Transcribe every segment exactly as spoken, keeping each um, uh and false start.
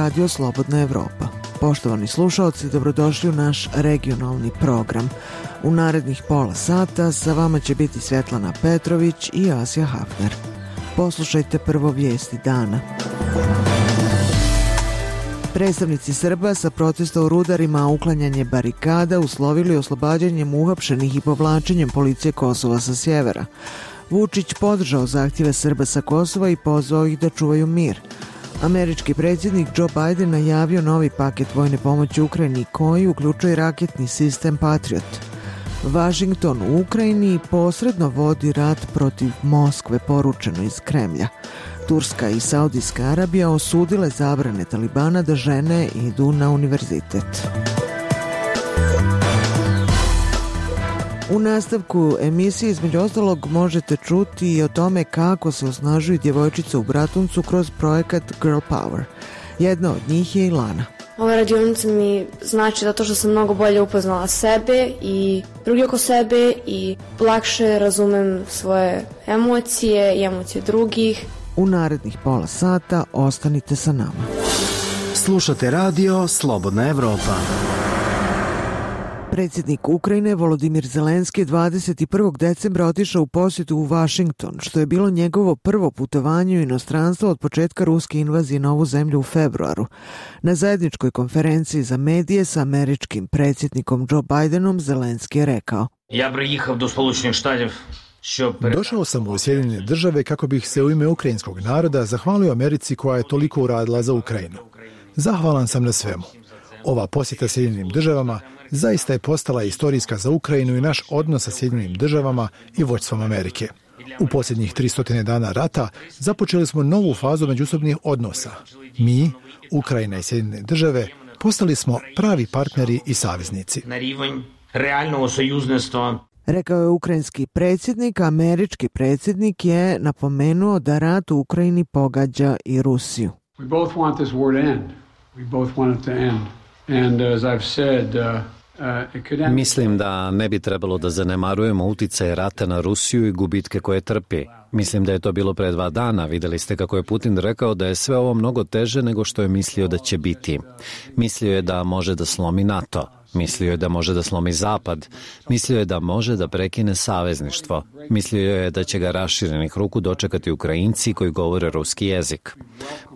Radio Slobodna Evropa. Poštovani slušalci, dobrodošli u naš regionalni program. U narednih pola sata sa vama će biti Svetlana Petrović i Asja Hafner. Poslušajte prvo vijesti dana. Predstavnici Srba sa protesta u Rudarima, a uklanjanje barikada uslovili oslobađanjem uhapšenih i povlačenjem policije Kosova sa sjevera. Vučić podržao zahtjeve Srba sa Kosova i pozvao ih da čuvaju mir. Američki predsjednik Joe Biden najavio novi paket vojne pomoći Ukrajini koji uključuje raketni sistem Patriot. Vašington u Ukrajini posredno vodi rat protiv Moskve, poručeno iz Kremlja. Turska i Saudijska Arabija osudile zabrane Talibana da žene idu na univerzitet. U nastavku emisije između ostalog možete čuti i o tome kako se osnažuju djevojčice u Bratuncu kroz projekat Girl Power. Jedna od njih je Ilana. Ova radionica mi znači zato što sam mnogo bolje upoznala sebe i drugi oko sebe i lakše razumem svoje emocije i emocije drugih. U narednih pola sata ostanite sa nama. Slušate radio Slobodna Evropa. Predsjednik Ukrajine Volodimir Zelenski dvadeset prvog decembra otišao u posjetu u Vašington, što je bilo njegovo prvo putovanje u inostranstvo od početka ruske invazije na ovu zemlju u februaru. Na zajedničkoj konferenciji za medije sa američkim predsjednikom Joe Bidenom Zelenski je rekao: Ja priїхав до Сполучених Штатів. Došao sam u Sjedinjene države kako bih se u ime ukrajinskog naroda zahvalio Americi koja je toliko uradila za Ukrajinu. Zahvalan sam na svemu. Ova posjeta Sjedinjenim državama zaista je postala istorijska za Ukrajinu i naš odnos sa Sjedinjenim državama i vođstvom Amerike. U posljednjih tristo dana rata započeli smo novu fazu međusobnih odnosa. Mi, Ukrajina i Sjedinjene države, postali smo pravi partneri i saveznici. Realnog союзництва. Rekao je ukrajinski predsjednik, a američki predsjednik je napomenuo da rat u Ukrajini pogađa i Rusiju. We both want this war to end. We both want it to end. And as I've said, uh, uh, it could end. Mislim da ne bi trebalo da zanemarujemo utjecaj rata na Rusiju i gubitke koje trpi. Mislim da je to bilo pre dva dana. Vidjeli ste kako je Putin rekao da je sve ovo mnogo teže nego što je mislio da će biti. Mislio je da može da slomi NATO. Mislio je da može da slomi Zapad. Mislio je da može da prekine savezništvo. Mislio je da će ga raširenih ruku dočekati Ukrajinci koji govore ruski jezik.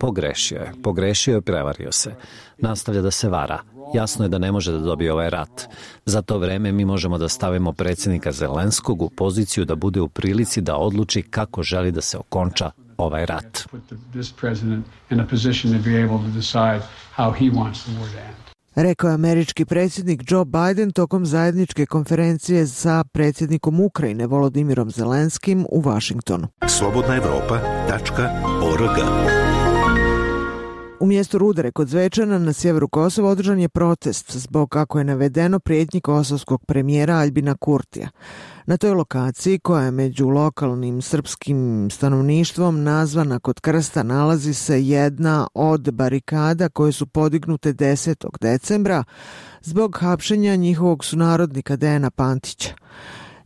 Pogrešio je. Pogrešio je, prevario se. Nastavlja da se vara. Jasno je da ne može da dobije ovaj rat. Za to vreme mi možemo da stavimo predsjednika Zelenskog u poziciju da bude u prilici da odluči kako želi da se okonča ovaj rat. Rekao je američki predsjednik Joe Biden tokom zajedničke konferencije sa predsjednikom Ukrajine Volodimirom Zelenskim u Vašingtonu. slobodna evropa tačka org. U mjestu Rudare kod Zvečana na sjeveru Kosova održan je protest zbog, kako je navedeno, prijetnji kosovskog premijera Aljbina Kurtija. Na toj lokaciji, koja je među lokalnim srpskim stanovništvom nazvana kod krsta, nalazi se jedna od barikada koje su podignute desetog decembra zbog hapšenja njihovog sunarodnika Dejana Pantića.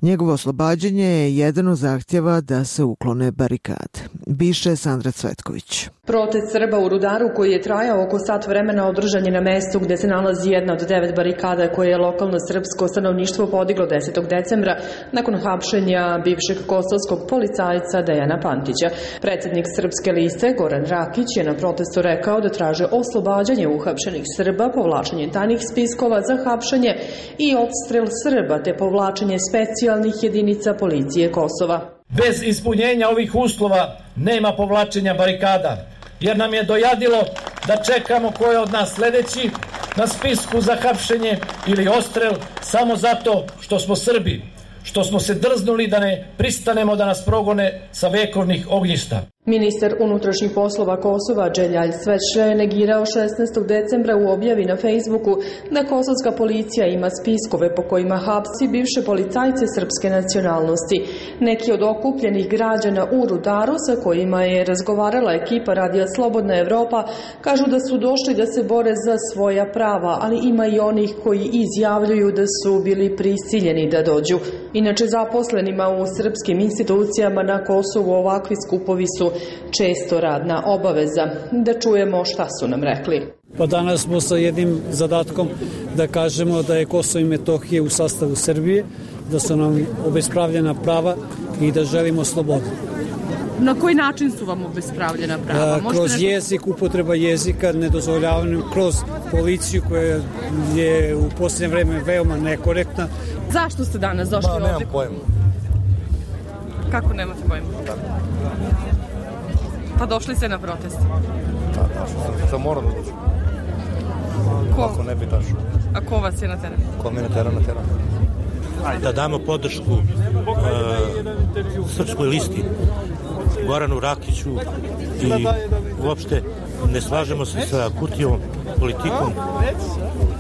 Njegovo oslobađanje je jedan od zahtjeva da se uklone barikade. Biše Sandra Cvetković. Protest Srba u Rudaru koji je trajao oko sat vremena održan je na mestu gdje se nalazi jedna od devet barikada koje je lokalno srpsko stanovništvo podiglo desetog decembra nakon hapšenja bivšeg kosovskog policajca Dejana Pantića. Predsjednik Srpske liste Goran Rakić je na protestu rekao da traže oslobađanje uhapšenih Srba, povlačenje tajnih spiskova za hapšenje i odstrel Srba te povlačenje specijalnih jedinica policije Kosova. Bez ispunjenja ovih uslova nema povlačenja barikada, jer nam je dojadilo da čekamo ko je od nas sljedeći na spisku za hapšenje ili odstrel samo zato što smo Srbi, što smo se drznuli da ne pristanemo da nas progone sa vekovnih ognjišta. Ministar unutrašnjih poslova Kosova Dželjalj Sveče je negirao šesnaestog decembra u objavi na Facebooku da kosovska policija ima spiskove po kojima hapsi bivše policajce srpske nacionalnosti. Neki od okupljenih građana u Rudaru sa kojima je razgovarala ekipa Radija Slobodna Evropa kažu da su došli da se bore za svoja prava, ali ima i onih koji izjavljuju da su bili prisiljeni da dođu. Inače, zaposlenima u srpskim institucijama na Kosovu ovakvi skupovi su često radna obaveza. Da čujemo šta su nam rekli. Pa danas smo sa jednim zadatkom da kažemo da je Kosovo i Metohija u sastavu Srbije, da su nam obespravljena prava i da želimo slobodu. Na koji način su vam obespravljena prava? A, kroz neko... jezik, upotreba jezika, nedozvoljavanje, kroz policiju koja je u posljednje vreme veoma nekorektna. Zašto ste danas došli ovdje? Nemam pojma. Kako nemate pojma? Da. Pa došli ste na protest? Da, došao sam. To moram da dođu. Ko? Ako ne bi došao. A ko vas je na teren? Ko me na teren, na teren. Da damo podršku uh, Srpskoj listi, Goranu Rakiću i uopšte ne slažemo se sa Kurtijevom politikom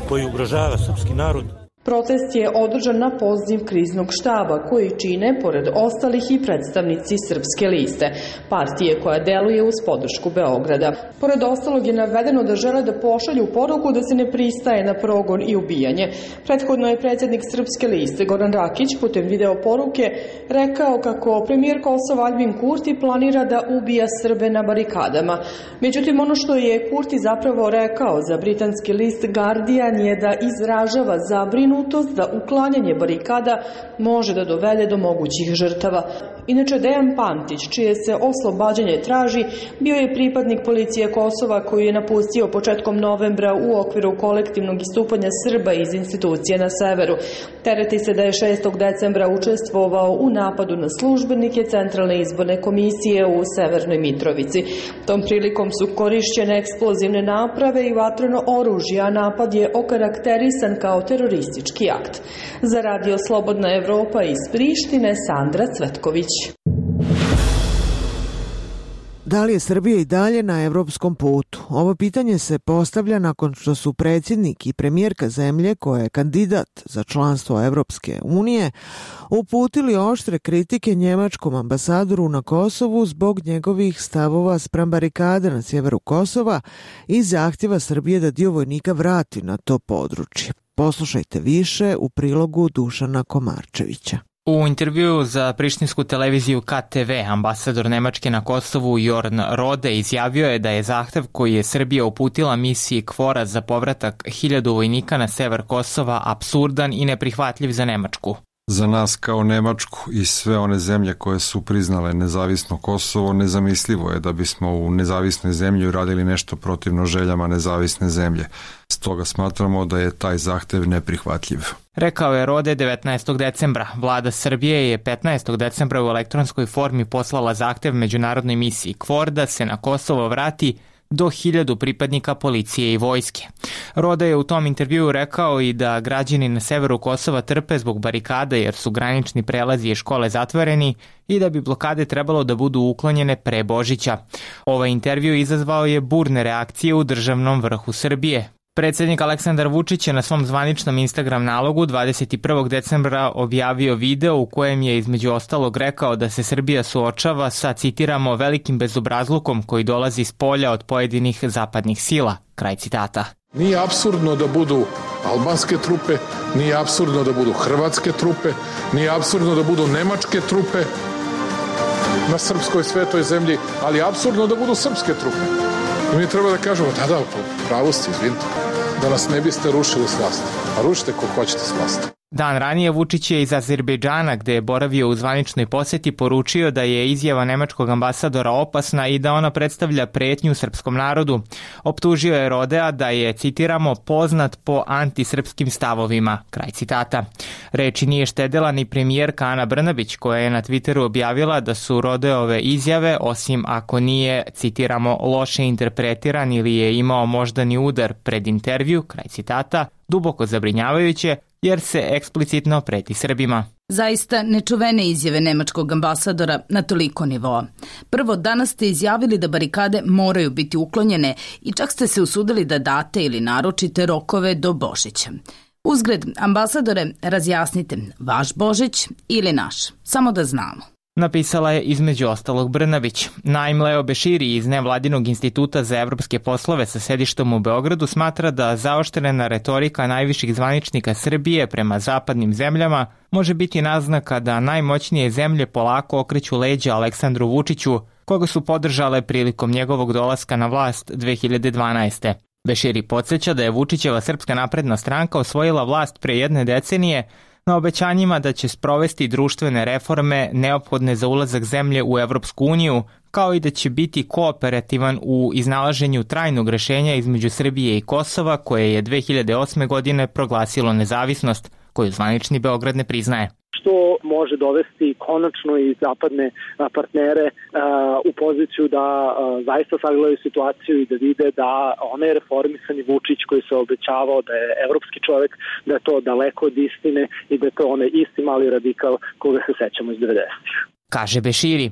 koji ugrožava srpski narod. Protest je održan na poziv kriznog štaba koji čine, pored ostalih, i predstavnici Srpske liste, partije koja deluje uz podršku Beograda. Pored ostalog je navedeno da žele da pošalju poruku da se ne pristaje na progon i ubijanje. Prethodno je predsjednik Srpske liste Goran Rakić putem video poruke rekao kako premijer Kosova Aljbin Kurti planira da ubija Srbe na barikadama. Međutim, ono što je Kurti zapravo rekao za britanski list Guardian je da izražava zabrinutost da uklanjanje barikada može da dovede do mogućih žrtava. Inače, Dejan Pantić, čije se oslobađanje traži, bio je pripadnik policije Kosova koji je napustio početkom novembra u okviru kolektivnog istupanja Srba iz institucije na severu. Tereti se da je šestog decembra učestvovao u napadu na službenike Centralne izborne komisije u Severnoj Mitrovici. Tom prilikom su korišćene eksplozivne naprave i vatreno oružje, a napad je okarakterisan kao teroristički akt. Za Radio Slobodna Evropa iz Prištine, Sandra Cvetković. Da li je Srbija i dalje na evropskom putu? Ovo pitanje se postavlja nakon što su predsjednik i premijerka zemlje, koja je kandidat za članstvo Evropske unije, uputili oštre kritike njemačkom ambasadoru na Kosovu zbog njegovih stavova spram barikade na sjeveru Kosova i zahtjeva Srbije da dio vojnika vrati na to područje. Poslušajte više u prilogu Dušana Komarčevića. U intervjuu za prištinsku televiziju K T V ambasador Nemačke na Kosovu Jorn Rode izjavio je da je zahtev koji je Srbija uputila misiji KFOR-a za povratak hiljadu vojnika na sever Kosova apsurdan i neprihvatljiv za Nemačku. Za nas kao Nemačku i sve one zemlje koje su priznale nezavisno Kosovo, nezamislivo je da bismo u nezavisnoj zemlji uradili nešto protivno željama nezavisne zemlje. Stoga smatramo da je taj zahtev neprihvatljiv. Rekao je Rode devetnaestog decembra. Vlada Srbije je petnaestog decembra u elektronskoj formi poslala zahtev međunarodnoj misiji KFOR da se na Kosovo vrati do hiljadu pripadnika policije i vojske. Rode je u tom intervjuu rekao i da građani na severu Kosova trpe zbog barikada jer su granični prelazi i škole zatvoreni i da bi blokade trebalo da budu uklonjene pre Božića. Ovaj intervju izazvao je burne reakcije u državnom vrhu Srbije. Predsjednik Aleksandar Vučić je na svom zvaničnom Instagram nalogu dvadeset prvog decembra objavio video u kojem je između ostalog rekao da se Srbija suočava sa, citiramo, velikim bezobrazlukom koji dolazi s polja od pojedinih zapadnih sila. Kraj citata. Nije apsurdno da budu albanske trupe, nije apsurdno da budu hrvatske trupe, nije apsurdno da budu nemačke trupe na srpskoj svetoj zemlji, ali je apsurdno da budu srpske trupe. I mi treba da kažemo, da, da, pravo ste, izvinite, da nas ne biste rušili s vlasti. A rušite ko hoćete s vlasti. Dan ranije Vučić je iz Azerbejdžana, gde je boravio u zvaničnoj posjeti, poručio da je izjava nemačkog ambasadora opasna i da ona predstavlja pretnju srpskom narodu. Optužio je Rodea da je, citiramo, poznat po antisrpskim stavovima. Kraj citata. Reči nije štedela ni premijerka Ana Brnabić, koja je na Twitteru objavila da su Rodeove izjave, osim ako nije, citiramo, loše interpretiran ili je imao moždani udar pred intervju, kraj citata, duboko zabrinjavajuće, jer se eksplicitno preti Srbima. Zaista nečuvene izjave nemačkog ambasadora na toliko nivoa. Prvo, danas ste izjavili da barikade moraju biti uklonjene i čak ste se usudili da date ili naručite rokove do Božića. Uzgred, ambasadore, razjasnite, vaš Božić ili naš, samo da znamo. Napisala je između ostalog Brnabić. Naim Leo Beširi iz Nevladinog instituta za evropske poslove sa sedištom u Beogradu smatra da zaoštrena retorika najviših zvaničnika Srbije prema zapadnim zemljama može biti naznaka da najmoćnije zemlje polako okreću leđa Aleksandru Vučiću, koga su podržale prilikom njegovog dolaska na vlast dve hiljade dvanaeste. Beširi podsjeća da je Vučićeva Srpska napredna stranka osvojila vlast pre jedne decenije na obećanjima da će sprovesti društvene reforme neophodne za ulazak zemlje u Evropsku uniju, kao i da će biti kooperativan u iznalaženju trajnog rešenja između Srbije i Kosova, koje je dve hiljade osme. godine proglasilo nezavisnost, koju zvanični Beograd ne priznaje. Što može dovesti konačno i zapadne partnere u poziciju da zaista sagledaju situaciju i da vide da onaj reformisani Vučić koji se obećavao da je evropski čovek, da je to daleko od istine i da je to onaj isti mali radikal koga se sećamo iz devedesetih. Kaže Beširi.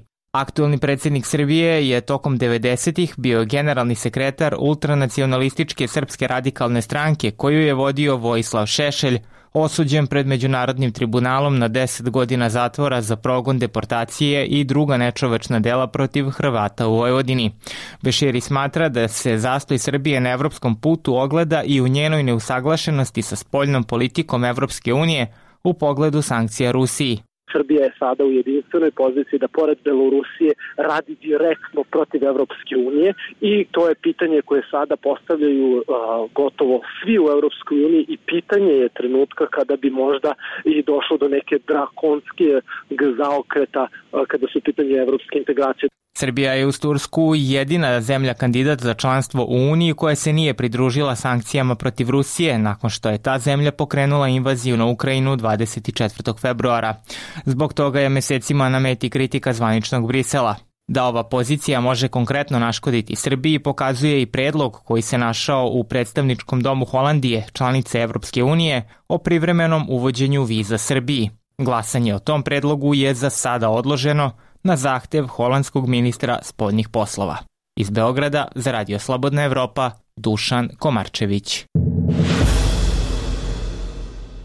Aktuelni predsjednik Srbije je tokom devedesetih bio generalni sekretar ultranacionalističke Srpske radikalne stranke koju je vodio Vojislav Šešelj, osuđen pred Međunarodnim tribunalom na deset godina zatvora za progon, deportacije i druga nečovečna dela protiv Hrvata u Vojvodini. Beširi smatra da se zastoj Srbije na evropskom putu ogleda i u njenoj neusaglašenosti sa spoljnom politikom Evropske unije u pogledu sankcija Rusiji. Srbija je sada u jedinstvenoj poziciji da pored Belorusije radi direktno protiv Evropske unije i to je pitanje koje sada postavljaju uh, gotovo svi u Evropskoj uniji i pitanje je trenutka kada bi možda i došlo do neke drakonske zaokreta uh, kada su pitanje evropske integracije. Srbija je uz Tursku jedina zemlja kandidat za članstvo u Uniji koja se nije pridružila sankcijama protiv Rusije nakon što je ta zemlja pokrenula invaziju na Ukrajinu dvadeset četvrtog februara. Zbog toga je mesecima na meti kritika zvaničnog Brisela. Da ova pozicija može konkretno naškoditi Srbiji pokazuje i predlog koji se našao u predstavničkom domu Holandije, članice Evropske unije, o privremenom uvođenju viza Srbiji. Glasanje o tom predlogu je za sada odloženo na zahtev holandskog ministra spoljnih poslova. Iz Beograda za Radio Slobodna Evropa, Dušan Komarčević.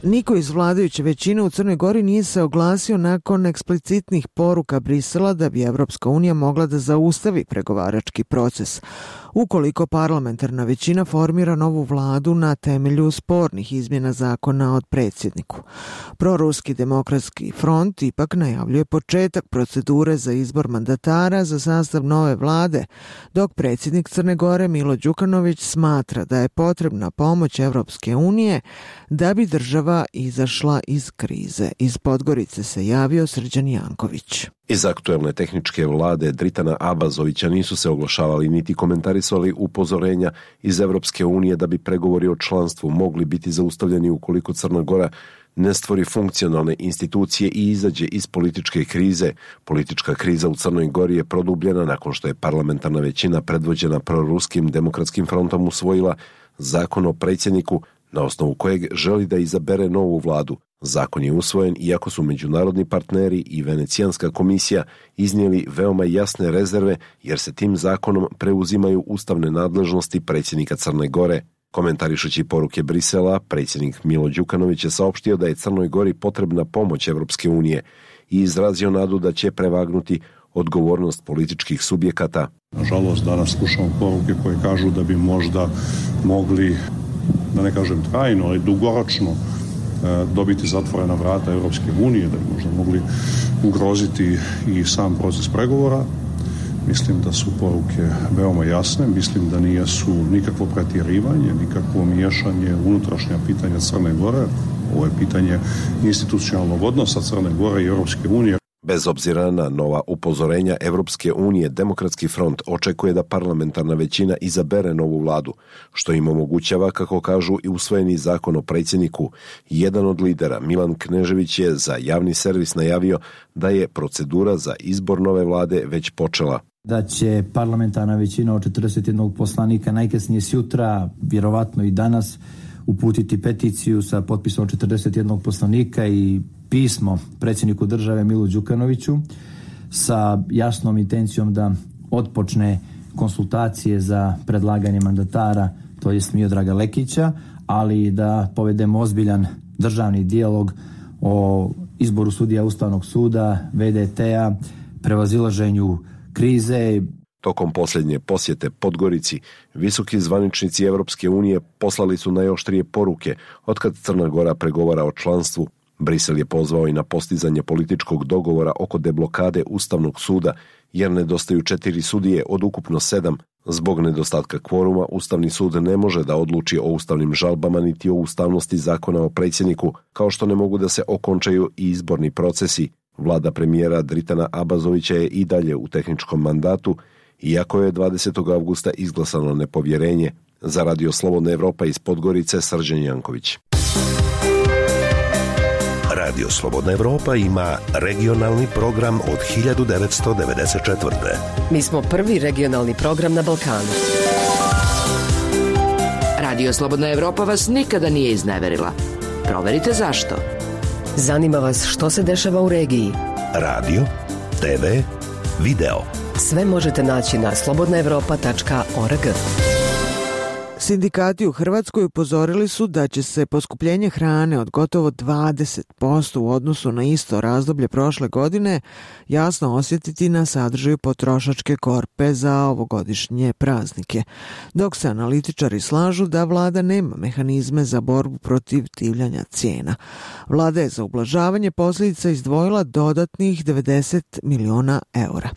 Niko iz vladajuće većine u Crnoj Gori nije se oglasio nakon eksplicitnih poruka Brisela da bi Evropska unija mogla da zaustavi pregovarački proces ukoliko parlamentarna većina formira novu vladu na temelju spornih izmjena zakona od predsjedniku. Proruski demokratski front ipak najavljuje početak procedure za izbor mandatara za sastav nove vlade, dok predsjednik Crne Gore Milo Đukanović smatra da je potrebna pomoć Evropske unije da bi država izašla iz krize. Iz Podgorice se javio Srđan Janković. Iz aktuelne tehničke vlade Dritana Abazovića nisu se oglašavali niti komentarisali upozorenja iz Evropske unije da bi pregovori o članstvu mogli biti zaustavljeni ukoliko Crna Gora ne stvori funkcionalne institucije i izađe iz političke krize. Politička kriza u Crnoj Gori je produbljena nakon što je parlamentarna većina predvođena proruskim demokratskim frontom usvojila zakon o predsjedniku na osnovu kojeg želi da izabere novu vladu. Zakon je usvojen iako su međunarodni partneri i Venecijanska komisija iznijeli veoma jasne rezerve jer se tim zakonom preuzimaju ustavne nadležnosti predsjednika Crne Gore. Komentarišući poruke Brisela, predsjednik Milo Đukanović je saopštio da je Crnoj Gori potrebna pomoć Evropske unije i izrazio nadu da će prevagnuti odgovornost političkih subjekata. Nažalost, danas slušamo poruke koje kažu da bi možda mogli, da ne kažem trajno, ali dugoročno dobiti zatvorena vrata Evropske unije, da bi možda mogli ugroziti i sam proces pregovora. Mislim da su poruke veoma jasne, mislim da nije su nikakvo pretjerivanje, nikakvo miješanje unutrašnja pitanja Crne Gore. Ovo je pitanje institucionalnog odnosa Crne Gore i Evropske unije. Bez obzira na nova upozorenja Evropske unije, Demokratski front očekuje da parlamentarna većina izabere novu vladu, što im omogućava, kako kažu, i usvojeni zakon o predsjedniku. Jedan od lidera, Milan Knežević, je za javni servis najavio da je procedura za izbor nove vlade već počela. Da će parlamentarna većina od četrdeset jednog poslanika najkasnije sutra, vjerovatno i danas, uputiti peticiju sa potpisom četrdeset jednog poslanika i pismo predsjedniku države Milu Đukanoviću sa jasnom intencijom da otpočne konsultacije za predlaganje mandatara, to jest Miodraga Lekića, ali da povedemo ozbiljan državni dijalog o izboru sudija Ustavnog suda, V D T-a, prevazilaženju krize. Tokom posljednje posjete Podgorici, visoki zvaničnici Evropske unije poslali su najoštrije poruke otkad Crna Gora pregovara o članstvu. Brisel je pozvao i na postizanje političkog dogovora oko deblokade Ustavnog suda, jer nedostaju četiri sudije od ukupno sedam. Zbog nedostatka kvoruma, Ustavni sud ne može da odluči o ustavnim žalbama niti o ustavnosti zakona o predsjedniku, kao što ne mogu da se okončaju i izborni procesi. Vlada premijera Dritana Abazovića je i dalje u tehničkom mandatu, iako je dvadesetog avgusta izglasano nepovjerenje. Za Radio Slobodna Evropa iz Podgorice, Srđan Janković. Radio Slobodna Evropa ima regionalni program od hiljadu devetsto devedeset četvrte. Mi smo prvi regionalni program na Balkanu. Radio Slobodna Evropa vas nikada nije izneverila. Proverite zašto. Zanima vas što se dešava u regiji. Radio, te ve, video. Sve možete naći na slobodna evropa tačka org. Sindikati u Hrvatskoj upozorili su da će se poskupljenje hrane od gotovo dvadeset posto u odnosu na isto razdoblje prošle godine jasno osjetiti na sadržaju potrošačke korpe za ovogodišnje praznike, dok se analitičari slažu da vlada nema mehanizme za borbu protiv divljanja cijena. Vlada je za ublažavanje posljedica izdvojila dodatnih devedeset miliona eura.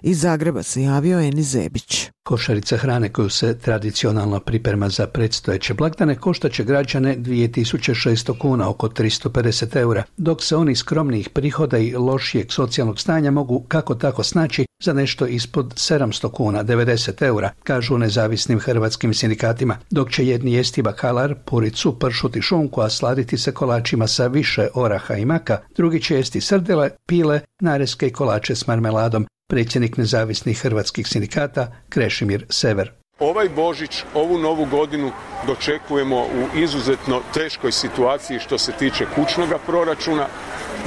Iz Zagreba se javio Enis Zebić. Košarica hrane koju se tradicionalno priprema za predstojeće blagdane koštaće građane dvije tisuće šesto kuna, oko tristo pedeset eura, dok se oni skromnijih prihoda i lošijeg socijalnog stanja mogu kako tako snaći za nešto ispod sedamsto kuna, devedeset eura, kažu nezavisnim hrvatskim sindikatima, dok će jedni jesti bakalar, puricu, pršut i šunku, a sladiti se kolačima sa više oraha i maka, drugi će jesti srdele, pile, nareske i kolače s marmeladom. Predsjednik nezavisnih hrvatskih sindikata Krešimir Sever. Ovaj Božić, ovu novu godinu dočekujemo u izuzetno teškoj situaciji što se tiče kućnoga proračuna,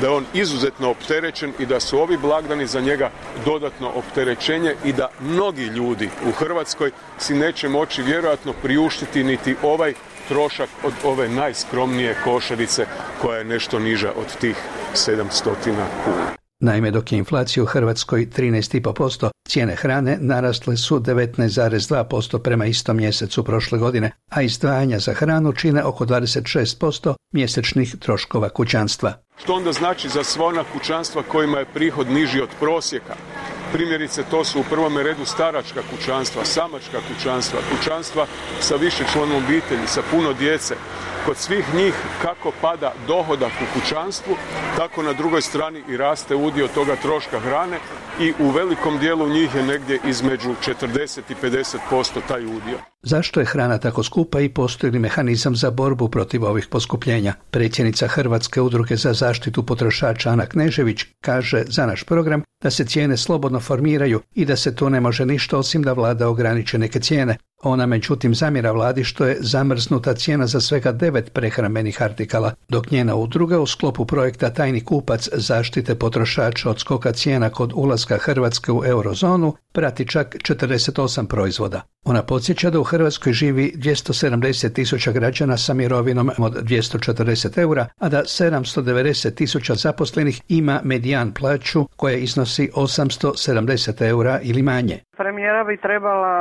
da je on izuzetno opterećen i da su ovi blagdani za njega dodatno opterećenje i da mnogi ljudi u Hrvatskoj si neće moći vjerojatno priuštiti niti ovaj trošak od ove najskromnije košarice koja je nešto niža od tih sedamsto kuna. Naime, dok je inflacija u Hrvatskoj trinaest zarez pet posto, cijene hrane narasle su devetnaest zarez dva posto prema istom mjesecu prošle godine, a izdvajanja za hranu čine oko dvadeset šest posto mjesečnih troškova kućanstva. Što onda znači za sva ona kućanstva kojima je prihod niži od prosjeka? Primjerice, to su u prvome redu staračka kućanstva, samačka kućanstva, kućanstva sa višečlanom obitelji, sa puno djece. Kod svih njih kako pada dohodak u kućanstvu, tako na drugoj strani i raste udio toga troška hrane i u velikom dijelu njih je negdje između četrdeset i pedeset posto taj udio. Zašto je hrana tako skupa i postoji li mehanizam za borbu protiv ovih poskupljenja? Predsjednica Hrvatske udruge za zaštitu potrošača Ana Knežević kaže za naš program da se cijene slobodno formiraju i da se tu ne može ništa osim da vlada ograniče neke cijene. Ona međutim zamjera vladi što je zamrznuta cijena za svega devet prehrambenih artikala, dok njena udruga u sklopu projekta Tajni kupac zaštite potrošača od skoka cijena kod ulaska Hrvatske u eurozonu prati čak četrdeset osam proizvoda. Ona podsjeća da u Hrvatskoj živi dvjesto sedamdeset tisuća građana sa mirovinom od dvjesto četrdeset eura, a da sedamsto devedeset tisuća zaposlenih ima medijan plaću koja iznosi osamsto sedamdeset eura ili manje. Premijera bi trebala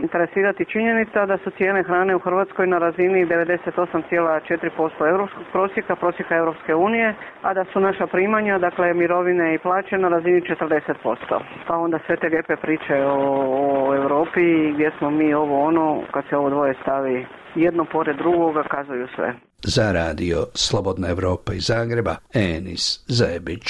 interesirati činjenica da su cijene hrane u Hrvatskoj na razini devedeset osam zarez četiri posto europskog prosjeka, prosjeka Europske unije, a da su naša primanja, dakle mirovine i plaće na razini četrdeset posto. Pa onda sve te lijepe priče o, o Europi gdje smo mi ovo ono, kad se ovo dvoje stavi jedno pored drugoga, kazuju sve. Za radio Slobodna Evropa iz Zagreba, Enis Zebić.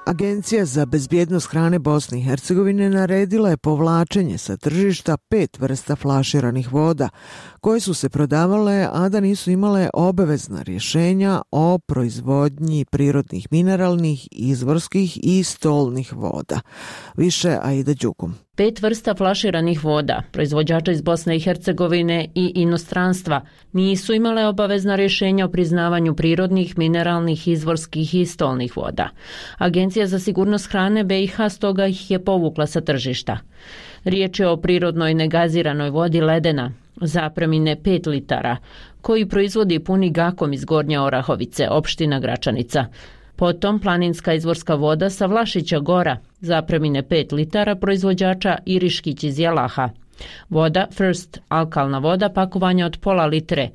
Agencija za bezbjednost hrane Bosne i Hercegovine naredila je povlačenje sa tržišta pet vrsta flaširanih voda koje su se prodavale, a da nisu imale obavezna rješenja o proizvodnji prirodnih mineralnih, izvorskih i stolnih voda. Više Aida Đugum. Pet vrsta flaširanih voda, proizvođača iz Bosne i Hercegovine i inostranstva, nisu imale obavezna rješenja o priznavanju prirodnih, mineralnih, izvorskih i stolnih voda. Agencija za sigurnost hrane be i ha stoga ih je povukla sa tržišta. Riječ je o prirodnoj negaziranoj vodi Ledena, zapremine pet litara, koji proizvodi puni Gakom iz Gornje Orahovice, opština Gračanica. Potom planinska izvorska voda sa Vlašića Gora, zapremine pet litara, proizvođača Iriškić iz Jelaha. Voda First, alkalna voda, pakovanja od pola litre,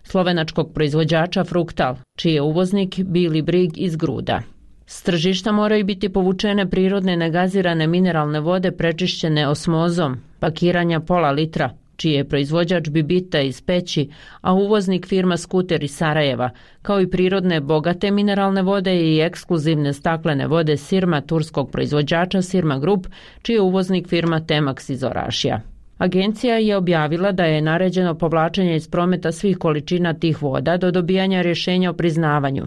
slovenačkog proizvođača Fruktal, čiji je uvoznik Billy Brig iz Gruda. S tržišta moraju biti povučene prirodne negazirane mineralne vode prečišćene osmozom, pakiranja pola litra, čiji je proizvođač Bibita iz Peći, a uvoznik firma Skuter iz Sarajeva, kao i prirodne bogate mineralne vode i ekskluzivne staklene vode Sirma turskog proizvođača Sirma Group, čiji je uvoznik firma Temax iz Orašija. Agencija je objavila da je naređeno povlačenje iz prometa svih količina tih voda do dobijanja rješenja o priznavanju.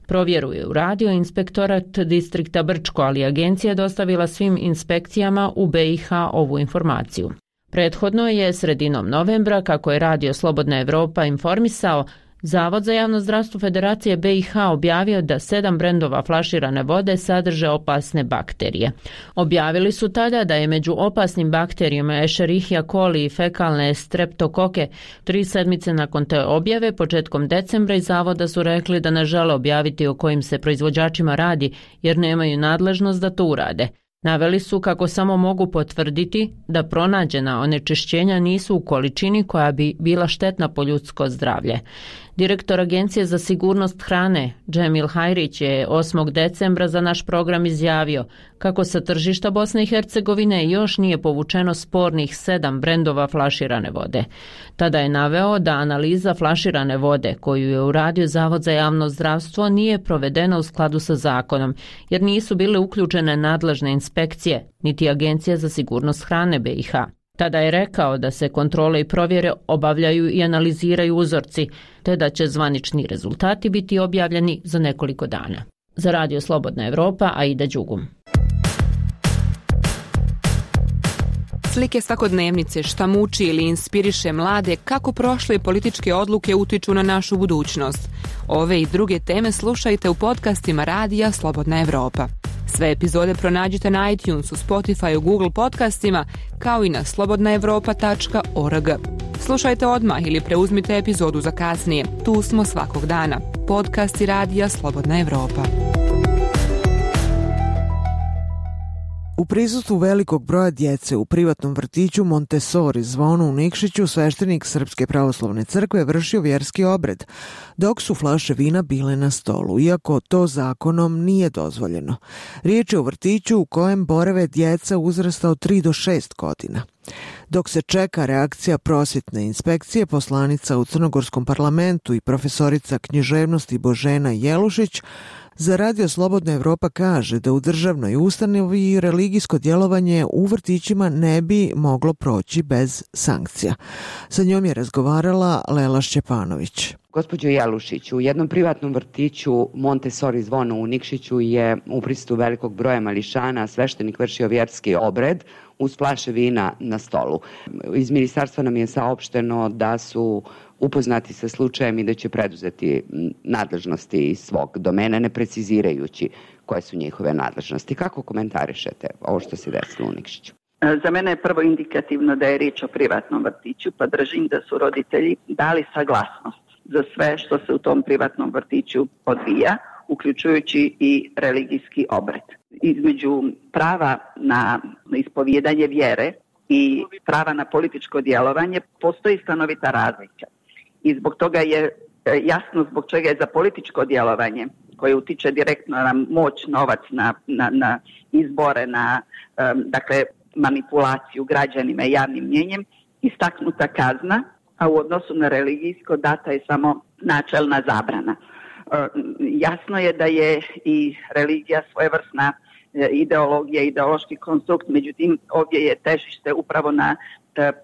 Provjeru je uradio inspektorat distrikta Brčko, ali agencija je dostavila svim inspekcijama u B i H ovu informaciju. Prethodno je sredinom novembra, kako je Radio Slobodna Evropa informisao, Zavod za javno zdravstvo Federacije B i H objavio da sedam brendova flaširane vode sadrže opasne bakterije. Objavili su tada da je među opasnim bakterijama Escherichia coli i fekalne streptokoke. Tri sedmice nakon te objave, početkom decembra, iz zavoda su rekli da ne žele objaviti o kojim se proizvođačima radi, jer nemaju nadležnost da to urade. Naveli su kako samo mogu potvrditi da pronađena onečišćenja nisu u količini koja bi bila štetna po ljudsko zdravlje. Direktor Agencije za sigurnost hrane, Džemil Hajrić, je osmog decembra za naš program izjavio kako sa tržišta Bosne i Hercegovine još nije povučeno spornih sedam brendova flaširane vode. Tada je naveo da analiza flaširane vode koju je uradio Zavod za javno zdravstvo nije provedena u skladu sa zakonom, jer nisu bile uključene nadležne inspekcije, niti Agencija za sigurnost hrane B i H. Tada je rekao da se kontrole i provjere obavljaju i analiziraju uzorci, te da će zvanični rezultati biti objavljeni za nekoliko dana. Za Radio Slobodna Evropa, Aida Đugum. Slike svakodnevnice, šta muči ili inspiriše mlade, kako prošle političke odluke utiču na našu budućnost. Ove i druge teme slušajte u podcastima Radija Slobodna Evropa. Sve epizode pronađite na iTunesu, Spotifyu, Google podcastima, kao i na slobodna evropa tačka org. Slušajte odmah ili preuzmite epizodu za kasnije. Tu smo svakog dana. Podcasti Radija Slobodna Evropa. U prisustvu velikog broja djece u privatnom vrtiću Montessori Zvono u Nikšiću sveštenik Srpske pravoslavne crkve vršio vjerski obred, dok su flaše vina bile na stolu, iako to zakonom nije dozvoljeno. Riječ je o vrtiću u kojem borave djeca uzrasta od tri do šest godina. Dok se čeka reakcija prosvjetne inspekcije, poslanica u Crnogorskom parlamentu i profesorica književnosti Božena Jelušić za Radio Slobodna Evropa kaže da u državnoj ustanovi religijsko djelovanje u vrtićima ne bi moglo proći bez sankcija. Sa njom je razgovarala Lela Šćepanović. Gospođo Jelušić, u jednom privatnom vrtiću Montessori Zvono u Nikšiću je u prisustvu velikog broja mališana sveštenik vršio vjerski obred uz flaše vina na stolu. Iz ministarstva nam je saopšteno da su upoznati sa slučajem i da će preduzeti nadležnosti iz svog domena, ne precizirajući koje su njihove nadležnosti. Kako komentarišete ovo što se desilo u Nikšiću? Za mene je prvo indikativno da je riječ o privatnom vrtiću, pa držim da su roditelji dali saglasnost za sve što se u tom privatnom vrtiću odvija, uključujući i religijski obred. Između prava na ispovijedanje vjere i prava na političko djelovanje postoji stanovita razlika. I zbog toga je jasno zbog čega je za političko djelovanje koje utiče direktno na moć, novac, na, na, na izbore, na um, dakle, manipulaciju građanima i javnim mnjenjem, istaknuta kazna, a u odnosu na religijsko data je samo načelna zabrana. Um, jasno je da je i religija svojevrsna ideologija, ideološki konstrukt, međutim ovdje je težište upravo na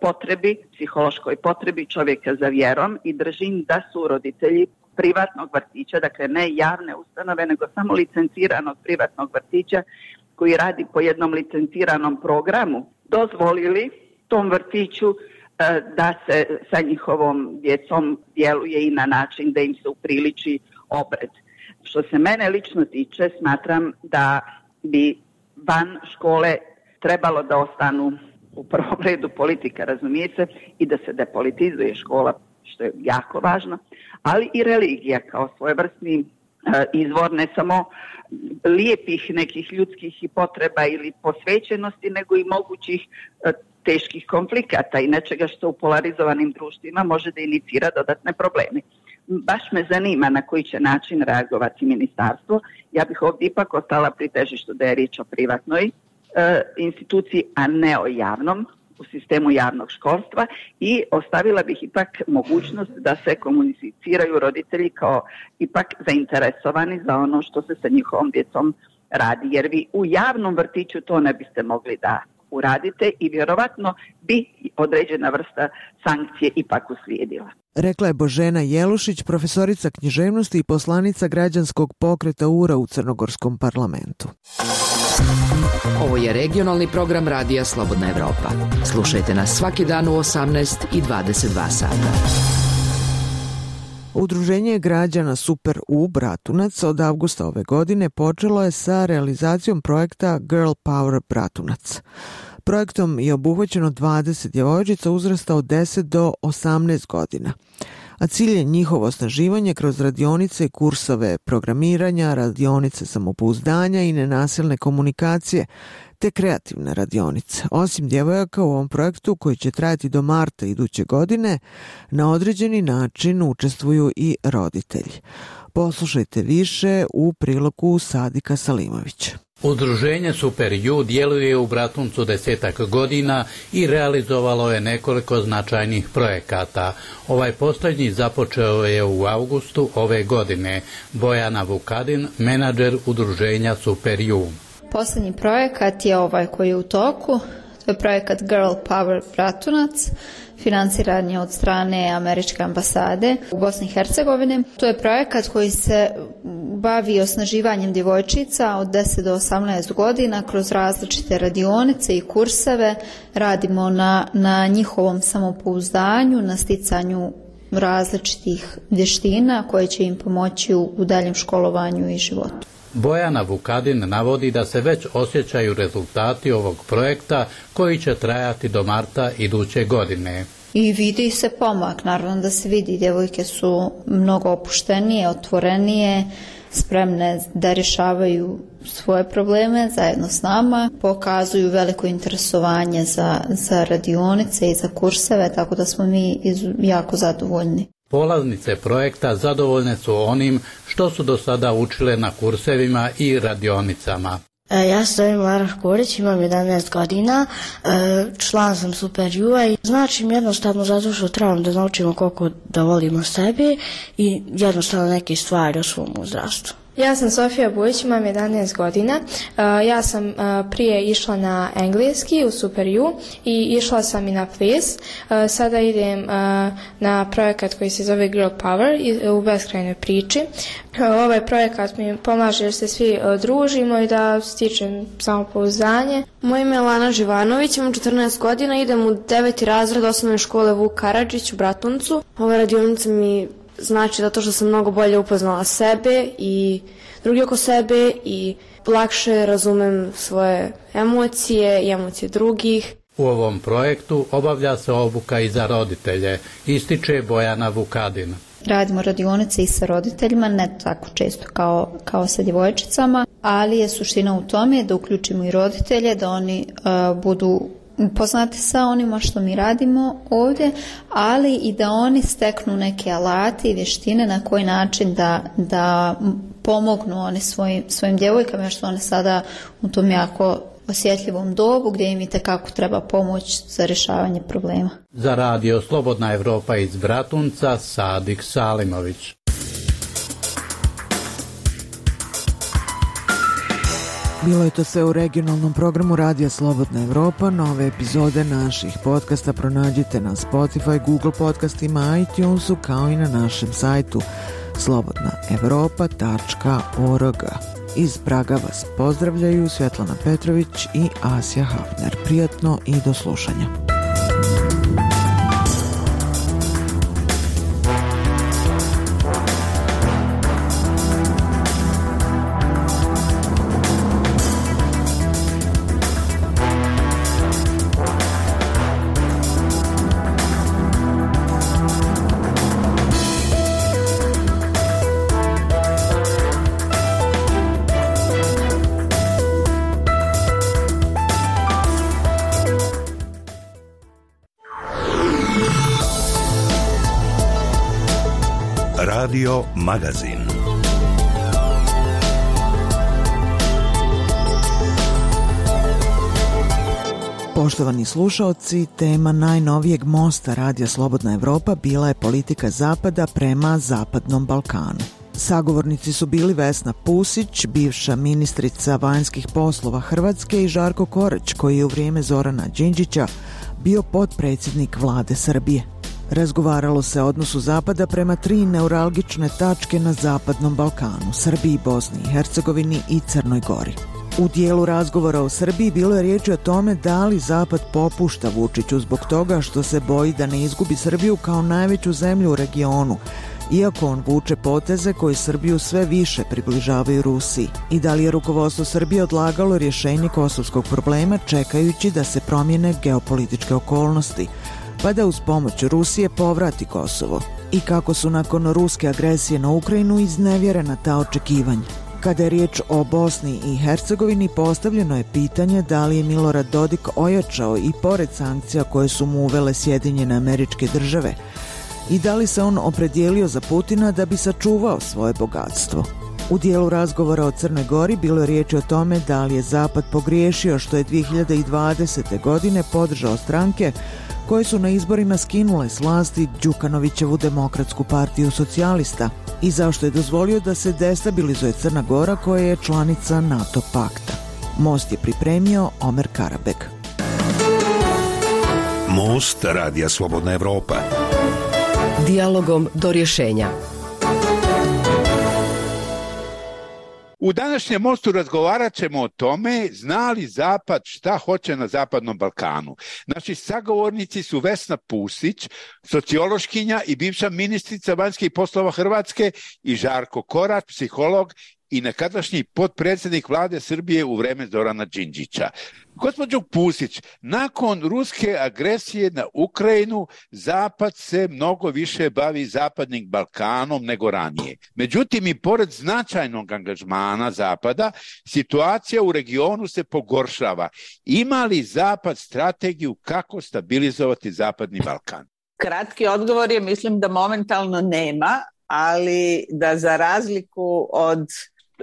potrebi, psihološkoj potrebi čovjeka za vjerom i držim da su roditelji privatnog vrtića, dakle ne javne ustanove, nego samo licenciranog privatnog vrtića koji radi po jednom licenciranom programu, dozvolili tom vrtiću da se sa njihovom djecom djeluje i na način da im se upriliči obred. Što se mene lično tiče, smatram da bi van škole trebalo da ostanu u prvom redu politika, razumije se, i da se depolitizuje škola, što je jako važno, ali i religija kao svojevrsni e, izvor ne samo lijepih nekih ljudskih i potreba ili posvećenosti, nego i mogućih e, teških konflikata i nečega što u polarizovanim društvima može da inicira dodatne probleme. Baš me zanima na koji će način reagovati ministarstvo. Ja bih ovdje ipak ostala pri težištu da je riječ o privatnoj e, instituciji, a ne o javnom, u sistemu javnog školstva, i ostavila bih ipak mogućnost da se komuniciraju roditelji kao ipak zainteresovani za ono što se sa njihovom djecom radi. Jer vi u javnom vrtiću to ne biste mogli da uradite i vjerovatno bi određena vrsta sankcije ipak uslijedila. Rekla je Božena Jelušić, profesorica književnosti i poslanica građanskog pokreta U R A u Crnogorskom parlamentu. Ovo je regionalni program Radija Slobodna Evropa. Slušajte nas svaki dan u osamnaest i dvadeset dva sata. Udruženje građana Super U Bratunac od avgusta ove godine počelo je sa realizacijom projekta Girl Power Bratunac. Projektom je obuhvaćeno dvadeset djevojčica uzrasta od deset do osamnaest godina, a cilj je njihovo osnaživanje kroz radionice i kursove programiranja, radionice samopouzdanja i nenasilne komunikacije, te kreativne radionice. Osim djevojaka u ovom projektu, koji će trajati do marta iduće godine, na određeni način učestvuju i roditelji. Poslušajte više u prilogu Sadika Salimovića. Udruženje Super U djeluje u Bratuncu desetak godina i realizovalo je nekoliko značajnih projekata. Ovaj posljednji započeo je u avgustu ove godine. Bojana Vukadin, menadžer udruženja Super U. Posljednji projekat je ovaj koji je u toku. To je projekat Girl Power Bratunac, financiran je od strane Američke ambasade u Bosni i Hercegovini. To je projekat koji se bavi osnaživanjem djevojčica od deset do osamnaest godina kroz različite radionice i kurseve. Radimo na, na njihovom samopouzdanju, na sticanju različitih vještina koje će im pomoći u, u daljem školovanju i životu. Bojana Vukadin navodi da se već osjećaju rezultati ovog projekta koji će trajati do marta iduće godine. I vidi se pomak, naravno da se vidi, djevojke su mnogo opuštenije, otvorenije, spremne da rješavaju svoje probleme zajedno s nama, pokazuju veliko interesovanje za, za radionice i za kurseve, tako da smo mi jako zadovoljni. Polaznice projekta zadovoljne su onim što su do sada učile na kursevima i radionicama. Ja se zovem Lara Škorić, imam jedanaest godina, član sam Super U-a i znači mi jednostavno zato što trebam da naučimo koliko da volimo sebe i jednostavno neke stvari o svom uzrastu. Ja sam Sofija Bujić, imam jedanaest godina. Ja sam prije išla na engleski u Super U i išla sam i na ples. Sada idem na projekat koji se zove Girl Power u beskrajnoj priči. Ovaj projekat mi pomaže jer se svi družimo i da stičem samopouzdanje. Moje ime je Lana Živanović, imam četrnaest godina, idem u deveti razred osnovne škole Vuk Karadžić u Bratuncu. Ova radionica mi znači zato što sam mnogo bolje upoznala sebe i drugi oko sebe i lakše razumem svoje emocije i emocije drugih. U ovom projektu obavlja se obuka i za roditelje, ističe Bojana Vukadin. Radimo radionice i sa roditeljima, ne tako često kao, kao sa djevojčicama, ali je suština u tome da uključimo i roditelje, da oni uh, budu poznati sa onima što mi radimo ovdje, ali i da oni steknu neke alate i vještine na koji način da, da pomognu oni svojim, svojim djevojkama, jer su one sada u tom jako osjetljivom dobu gdje im itekako treba pomoć za rješavanje problema. Za radio Slobodna Evropa iz Bratunca, Sadik Salimović. Bilo je to sve u regionalnom programu Radija Slobodna Evropa. Nove epizode naših podcasta pronađite na Spotify, Google podcastima, iTunesu, kao i na našem sajtu slobodna evropa tačka org. Iz Praga vas pozdravljaju Svetlana Petrović i Asja Hafner. Prijatno i do slušanja. Radio Magazin. Poštovani slušaoci, tema najnovijeg mosta Radija Slobodna Evropa bila je politika Zapada prema Zapadnom Balkanu. Sagovornici su bili Vesna Pusić, bivša ministrica vanjskih poslova Hrvatske, i Žarko Korać, koji je u vrijeme Zorana Đinđića bio potpredsjednik vlade Srbije. Razgovaralo se o odnosu Zapada prema tri neuralgične tačke na Zapadnom Balkanu, Srbiji, Bosni i Hercegovini i Crnoj Gori. U dijelu razgovora o Srbiji bilo je riječi o tome da li Zapad popušta Vučiću zbog toga što se boji da ne izgubi Srbiju kao najveću zemlju u regionu, iako on vuče poteze koji Srbiju sve više približavaju Rusiji, i da li je rukovodstvo Srbije odlagalo rješenje kosovskog problema čekajući da se promijene geopolitičke okolnosti, pa da uz pomoć Rusije povrati Kosovo, i kako su nakon ruske agresije na Ukrajinu iznevjerena ta očekivanja. Kada je riječ o Bosni i Hercegovini, postavljeno je pitanje da li je Milorad Dodik ojačao i pored sankcija koje su mu uvele Sjedinjene Američke Države, i da li se on opredijelio za Putina da bi sačuvao svoje bogatstvo. U dijelu razgovora o Crnoj Gori bilo je riječi o tome da li je Zapad pogriješio što je dvije hiljade dvadesete. godine podržao stranke koje su na izborima skinule s vlasti Đukanovićevu Demokratsku partiju socijalista, i zašto je dozvolio da se destabilizuje Crna Gora koja je članica NATO pakta. Most je pripremio Omer Karabek. Most Radija Slobodna Evropa. Dijalogom do rješenja. U današnjem mostu razgovarat ćemo o tome zna li Zapad šta hoće na Zapadnom Balkanu. Naši sagovornici su Vesna Pusić, sociološkinja i bivša ministrica vanjskih poslova Hrvatske, i Žarko Korać, psiholog i nekadašnji potpredsjednik vlade Srbije u vreme Zorana Đinđića. Gospođo Pusić, nakon ruske agresije na Ukrajinu, Zapad se mnogo više bavi Zapadnim Balkanom nego ranije. Međutim, i pored značajnog angažmana Zapada, situacija u regionu se pogoršava. Ima li Zapad strategiju kako stabilizovati Zapadni Balkan? Kratki odgovor je, mislim da momentalno nema, ali da za razliku od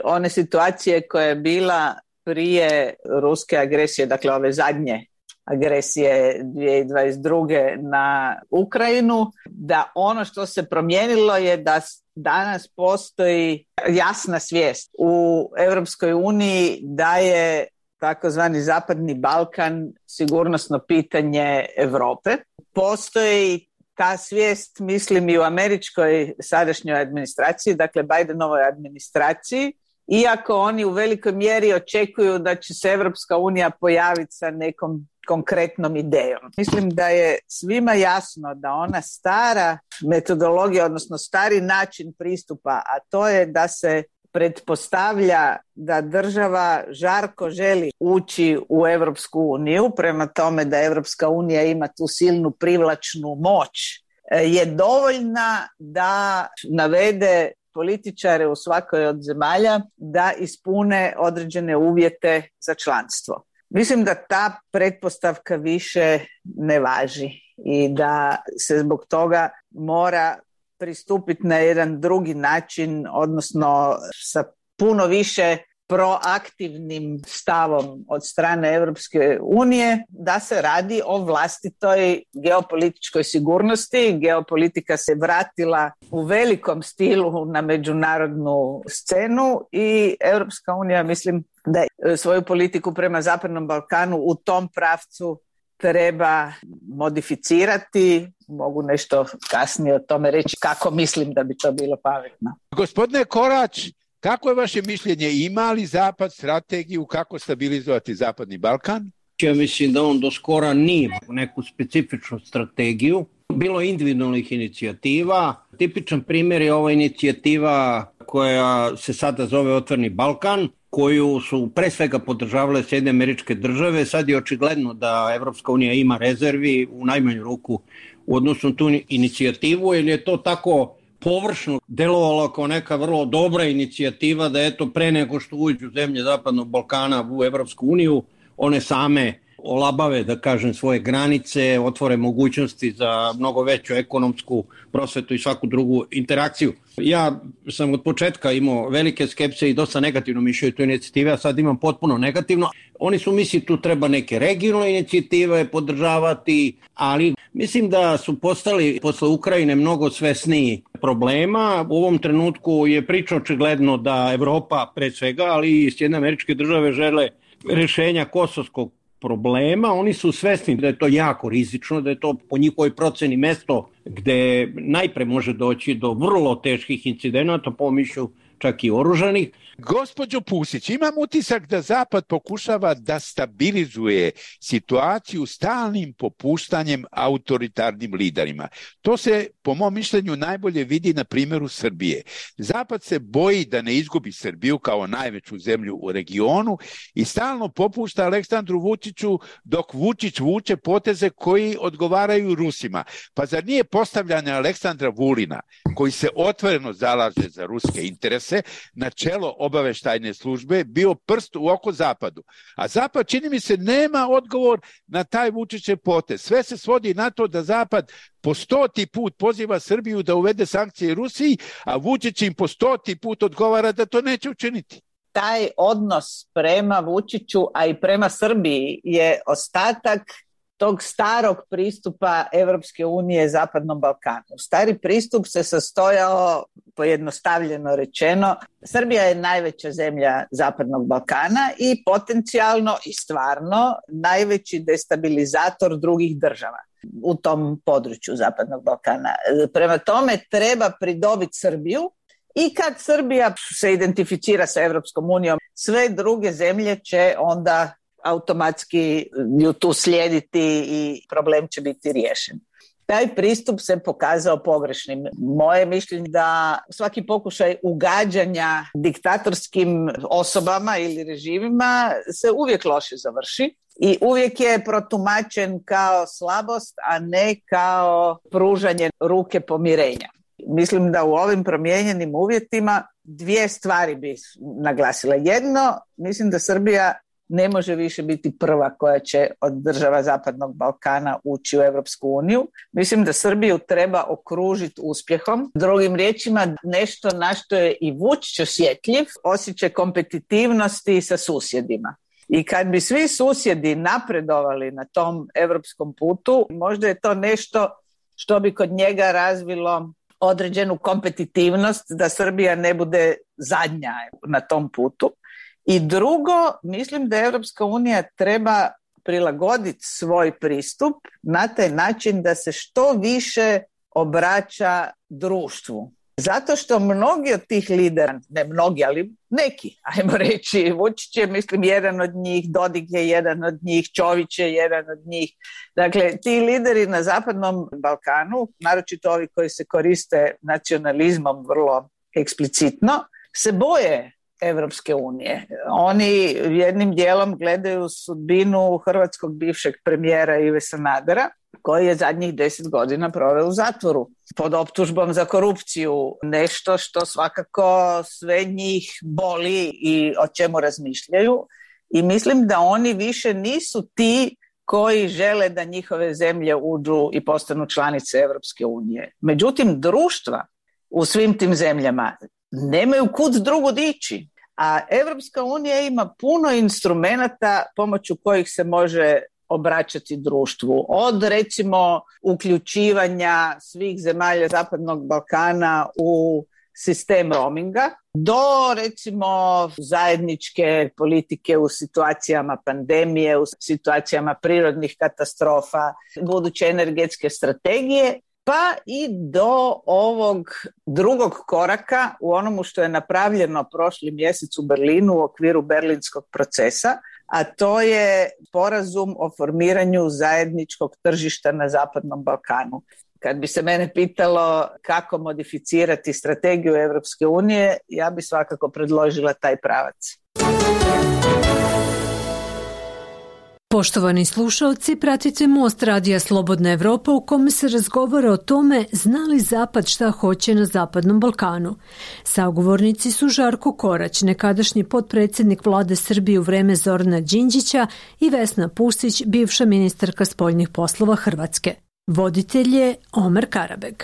one situacije koja je bila prije ruske agresije, dakle ove zadnje agresije dvije tisuće dvadeset druge. na Ukrajinu, da ono što se promijenilo je da danas postoji jasna svijest u Europskoj uniji da je takozvani Zapadni Balkan sigurnosno pitanje Europe. Postoji ta svijest, mislim, i u američkoj sadašnjoj administraciji, dakle Bidenovoj administraciji, iako oni u velikoj mjeri očekuju da će se Evropska unija pojaviti sa nekom konkretnom idejom. Mislim da je svima jasno da ona stara metodologija, odnosno stari način pristupa, a to je da se pretpostavlja da država žarko želi ući u Evropsku uniju, prema tome da Evropska unija ima tu silnu privlačnu moć, je dovoljna da navede političare u svakoj od zemalja da ispune određene uvjete za članstvo. Mislim da ta pretpostavka više ne važi i da se zbog toga mora pristupiti na jedan drugi način, odnosno sa puno više proaktivnim stavom od strane Europske unije, da se radi o vlastitoj geopolitičkaj sigurnosti. Geopolitika se vratila u velikom stilu na međunarodnu scenu i Europska unija, mislim, da svoju politiku prema Zapadnom Balkanu u tom pravcu treba modificirati. Mogu nešto kasnije o tome reći kako mislim da bi to bilo pametno. Gospodine Korać, kako je vaše mišljenje? Ima li Zapad strategiju kako stabilizovati Zapadni Balkan? Ja mislim da on do skora nije neku specifičnu strategiju. Bilo je individualnih inicijativa. Tipičan primjer je ova inicijativa koja se sada zove Otvoreni Balkan, koju su pre svega podržavale Sjedinjene Američke Države. Sad je očigledno da Evropska unija ima rezervi u najmanju ruku u odnosu na tu inicijativu, jer je to tako površno delovalo kao neka vrlo dobra inicijativa da eto pre nego što uđu zemlje Zapadnog Balkana u Evropsku uniju, one same olabave, da kažem, svoje granice, otvore mogućnosti za mnogo veću ekonomsku prosvetu i svaku drugu interakciju. Ja sam od početka imao velike skepse i dosta negativno mišljenje tu inicijative, a sad imam potpuno negativno. Oni su misli tu treba neke regionalne inicijative podržavati, ali mislim da su postali posle Ukrajine mnogo svesniji problema. U ovom trenutku je priča očigledno da Evropa pre svega, ali i Sjedinjene Američke Države žele rešenja kosovskog problema. Oni su svesni da je to jako rizično, da je to po njihovoj proceni mesto gde najpre može doći do vrlo teških incidenata, po mišlju čak i oružanih. Gospođo Pusić, imam utisak da Zapad pokušava da stabilizuje situaciju stalnim popuštanjem autoritarnim liderima. To se, po mom mišljenju, najbolje vidi na primjeru Srbije. Zapad se boji da ne izgubi Srbiju kao najveću zemlju u regionu i stalno popušta Aleksandru Vučiću dok Vučić vuče poteze koji odgovaraju Rusima. Pa zar nije postavljanje Aleksandra Vulina, koji se otvoreno zalaže za ruske interese, na čelo obaveštajne službe, bio prst u oko Zapadu. A Zapad, čini mi se, nema odgovor na taj Vučićev potez. Sve se svodi na to da Zapad po stoti put poziva Srbiju da uvede sankcije Rusiji, a Vučić im po stoti put odgovara da to neće učiniti. Taj odnos prema Vučiću, a i prema Srbiji je ostatak tog starog pristupa Evropske unije Zapadnom Balkanu. Stari pristup se sastojao, pojednostavljeno rečeno, Srbija je najveća zemlja Zapadnog Balkana i potencijalno i stvarno najveći destabilizator drugih država u tom području Zapadnog Balkana. Prema tome treba pridobiti Srbiju i kad Srbija se identificira sa Evropskom unijom, sve druge zemlje će onda automatski ju tu slijediti i problem će biti riješen. Taj pristup se pokazao pogrešnim. Moje mišljenje da svaki pokušaj ugađanja diktatorskim osobama ili režimima se uvijek loše završi i uvijek je protumačen kao slabost, a ne kao pružanje ruke pomirenja. Mislim da u ovim promijenjenim uvjetima dvije stvari bi naglasila. Jedno, mislim da Srbija ne može više biti prva koja će od država Zapadnog Balkana ući u Europsku uniju. Mislim da Srbiju treba okružiti uspjehom. Drugim riječima, nešto na što je i Vučić osjetljiv, osjećaj kompetitivnosti sa susjedima. I kad bi svi susjedi napredovali na tom europskom putu, možda je to nešto što bi kod njega razvilo određenu kompetitivnost da Srbija ne bude zadnja na tom putu. I drugo, mislim da Europska unija treba prilagoditi svoj pristup na taj način da se što više obraća društvu. Zato što mnogi od tih lidera, ne mnogi, ali neki, ajmo reći, Vučić je, mislim, jedan od njih, Dodik je jedan od njih, Čović je jedan od njih. Dakle, ti lideri na Zapadnom Balkanu, naročito ovi koji se koriste nacionalizmom vrlo eksplicitno, se boje Evropske unije. Oni jednim dijelom gledaju sudbinu hrvatskog bivšeg premijera Ive Sanadera, koji je zadnjih deset godina proveo u zatvoru pod optužbom za korupciju. Nešto što svakako sve njih boli i o čemu razmišljaju. I mislim da oni više nisu ti koji žele da njihove zemlje uđu i postanu članice Evropske unije. Međutim, društva u svim tim zemljama nemaju kud drugo dići. A Evropska unija ima puno instrumenata pomoću kojih se može obraćati društvu. Od, recimo, uključivanja svih zemalja Zapadnog Balkana u sistem roaminga, do, recimo, zajedničke politike u situacijama pandemije, u situacijama prirodnih katastrofa, buduće energetske strategije, pa i do ovog drugog koraka u onomu što je napravljeno prošli mjesec u Berlinu u okviru berlinskog procesa, a to je sporazum o formiranju zajedničkog tržišta na Zapadnom Balkanu. Kad bi se mene pitalo kako modificirati strategiju Europske unije, ja bi svakako predložila taj pravac. Poštovani slušalci, pratite Most radija Slobodna Evropa u kome se razgovara o tome zna li Zapad šta hoće na Zapadnom Balkanu. Sagovornici su Žarko Korać, nekadašnji potpredsjednik vlade Srbije u vreme Zorana Đinđića, i Vesna Pusić, bivša ministarka spoljnih poslova Hrvatske. Voditelj je Omer Karabeg.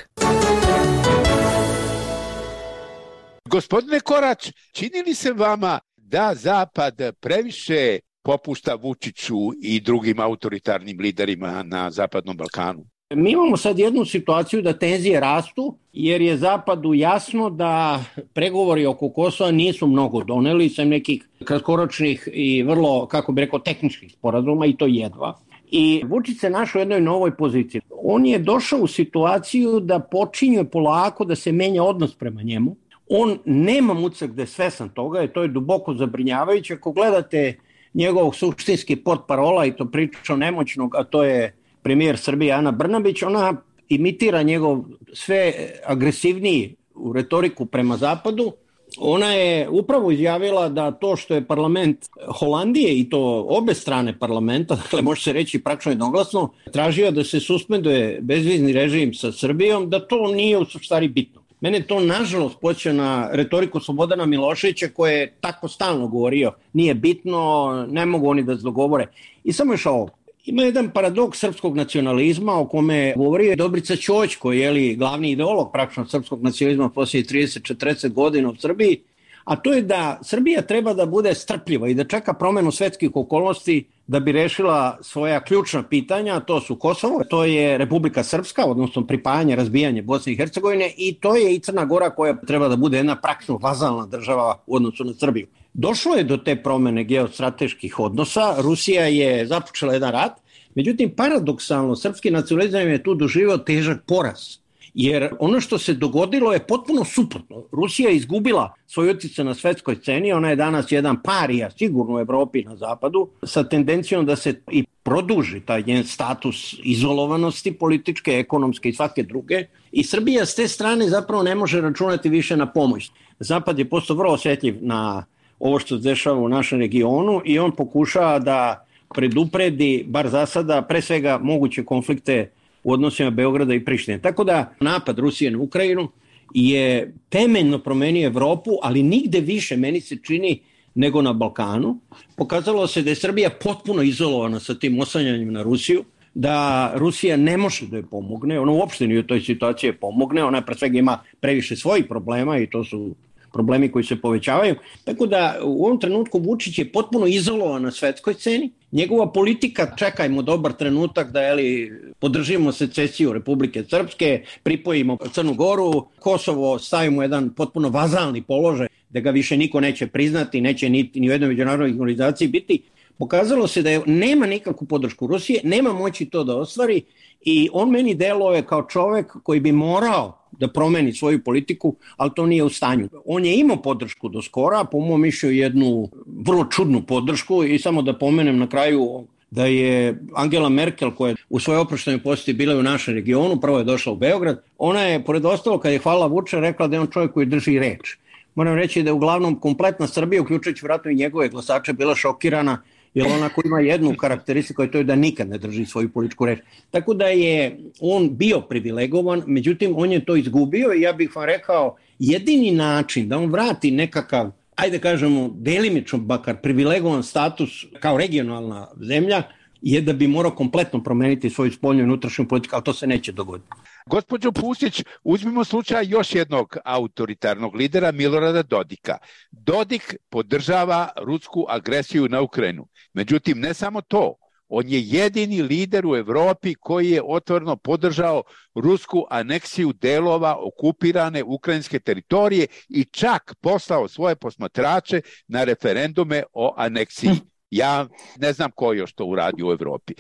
Gospodine Korać, čini li se vama da Zapad previše popušta Vučiću i drugim autoritarnim liderima na Zapadnom Balkanu? Mi imamo sad jednu situaciju da tenzije rastu, jer je Zapadu jasno da pregovori oko Kosova nisu mnogo doneli, sem nekih kratkoročnih i vrlo, kako bi rekao, tehničkih sporazuma, i to jedva. I Vučić se našao u jednoj novoj poziciji. On je došao u situaciju da počinje polako da se menja odnos prema njemu. On nema mucak da je svesan toga i to je duboko zabrinjavajuće. Ako gledate njegovog suštinski portparola, i to priča nemoćnog, a to je premijer Srbije Ana Brnabić, ona imitira njegov sve agresivniji u retoriku prema Zapadu. Ona je upravo izjavila da to što je parlament Holandije, i to obe strane parlamenta, dakle može se reći praktično jednoglasno, tražio da se suspenduje bezvizni režim sa Srbijom, da to nije u stvari bitno. Mene to nažalost podsjeća na retoriku Slobodana Miloševića, koji je tako stalno govorio, nije bitno, ne mogu oni da se dogovore. I samo još ovo. Ima jedan paradoks srpskog nacionalizma o kome govori Dobrica Ćoć, koji je li glavni ideolog praktično srpskog nacionalizma poslije trideset do četrdeset godina u Srbiji, a to je da Srbija treba da bude strpljiva i da čeka promenu svetskih okolnosti da bi rešila svoja ključna pitanja, to su Kosovo, to je Republika Srpska, odnosno pripajanje, razbijanje Bosne i Hercegovine, i to je i Crna Gora, koja treba da bude jedna praktično vazalna država u odnosu na Srbiju. Došlo je do te promene geostrateških odnosa, Rusija je započela jedan rat, međutim paradoksalno srpski nacionalizam je tu doživio težak poraz. Jer ono što se dogodilo je potpuno suprotno. Rusija je izgubila svoj utjecaj na svetskoj sceni, ona je danas jedan parija sigurno u Evropi i na zapadu, sa tendencijom da se i produži taj njen status izolovanosti političke, ekonomske i svake druge. I Srbija s te strane zapravo ne može računati više na pomoć. Zapad je postao vrlo osjetljiv na ovo što se dešava u našem regionu i on pokušava da predupredi, bar za sada, pre svega moguće konflikte u odnosima Beograda i Prištine. Tako da napad Rusije na Ukrajinu je temeljno promenio Evropu, ali nigde više, meni se čini, nego na Balkanu. Pokazalo se da je Srbija potpuno izolovana sa tim oslanjanjem na Rusiju, da Rusija ne može da joj pomogne, ona uopšte nije u toj situaciji pomogne, ona pre svega ima previše svojih problema i to su problemi koji se povećavaju. Tako da u ovom trenutku Vučić je potpuno izolovan na svetskoj sceni. Njegova politika, čekajmo dobar trenutak da jeli, podržimo secesiju Republike Srpske, pripojimo Crnu Goru, Kosovo stavimo jedan potpuno vazalni položaj da ga više niko neće priznati, neće ni, ni u jednoj međunarodnoj organizaciji biti. Pokazalo se da je, nema nikakvu podršku Rusije, nema moći to da ostvari i on meni deluje kao čovek koji bi morao da promeni svoju politiku, ali to nije u stanju. On je imao podršku do skora, po mom mišlju jednu vrlo čudnu podršku i samo da pomenem na kraju da je Angela Merkel, koja je u svojoj oproštenoj posjeti bila u našem regionu, prvo je došla u Beograd, ona je, pored ostalo, kad je hvala Vučića, rekla da je on čovjek koji drži reč. Moram reći da je uglavnom kompletna Srbija, uključujući vratno i njegove glasače, bila šokirana, jer onako ima jednu karakteristiku, a to je da nikad ne drži svoju političku reč. Tako da je on bio privilegovan, međutim on je to izgubio i ja bih vam rekao, jedini način da on vrati nekakav, ajde kažemo, delimično bakar privilegovan status kao regionalna zemlja, je da bi morao kompletno promeniti svoju spoljnu i unutrašnju politiku, ali to se neće dogoditi. Gospođo Pustić, uzmimo slučaj još jednog autoritarnog lidera, Milorada Dodika. Dodik podržava rusku agresiju na Ukrajinu. Međutim, ne samo to. On je jedini lider u Evropi koji je otvoreno podržao rusku aneksiju delova okupirane ukrajinske teritorije i čak poslao svoje posmatrače na referendume o aneksiji. Ja ne znam ko još to uradi u Evropi.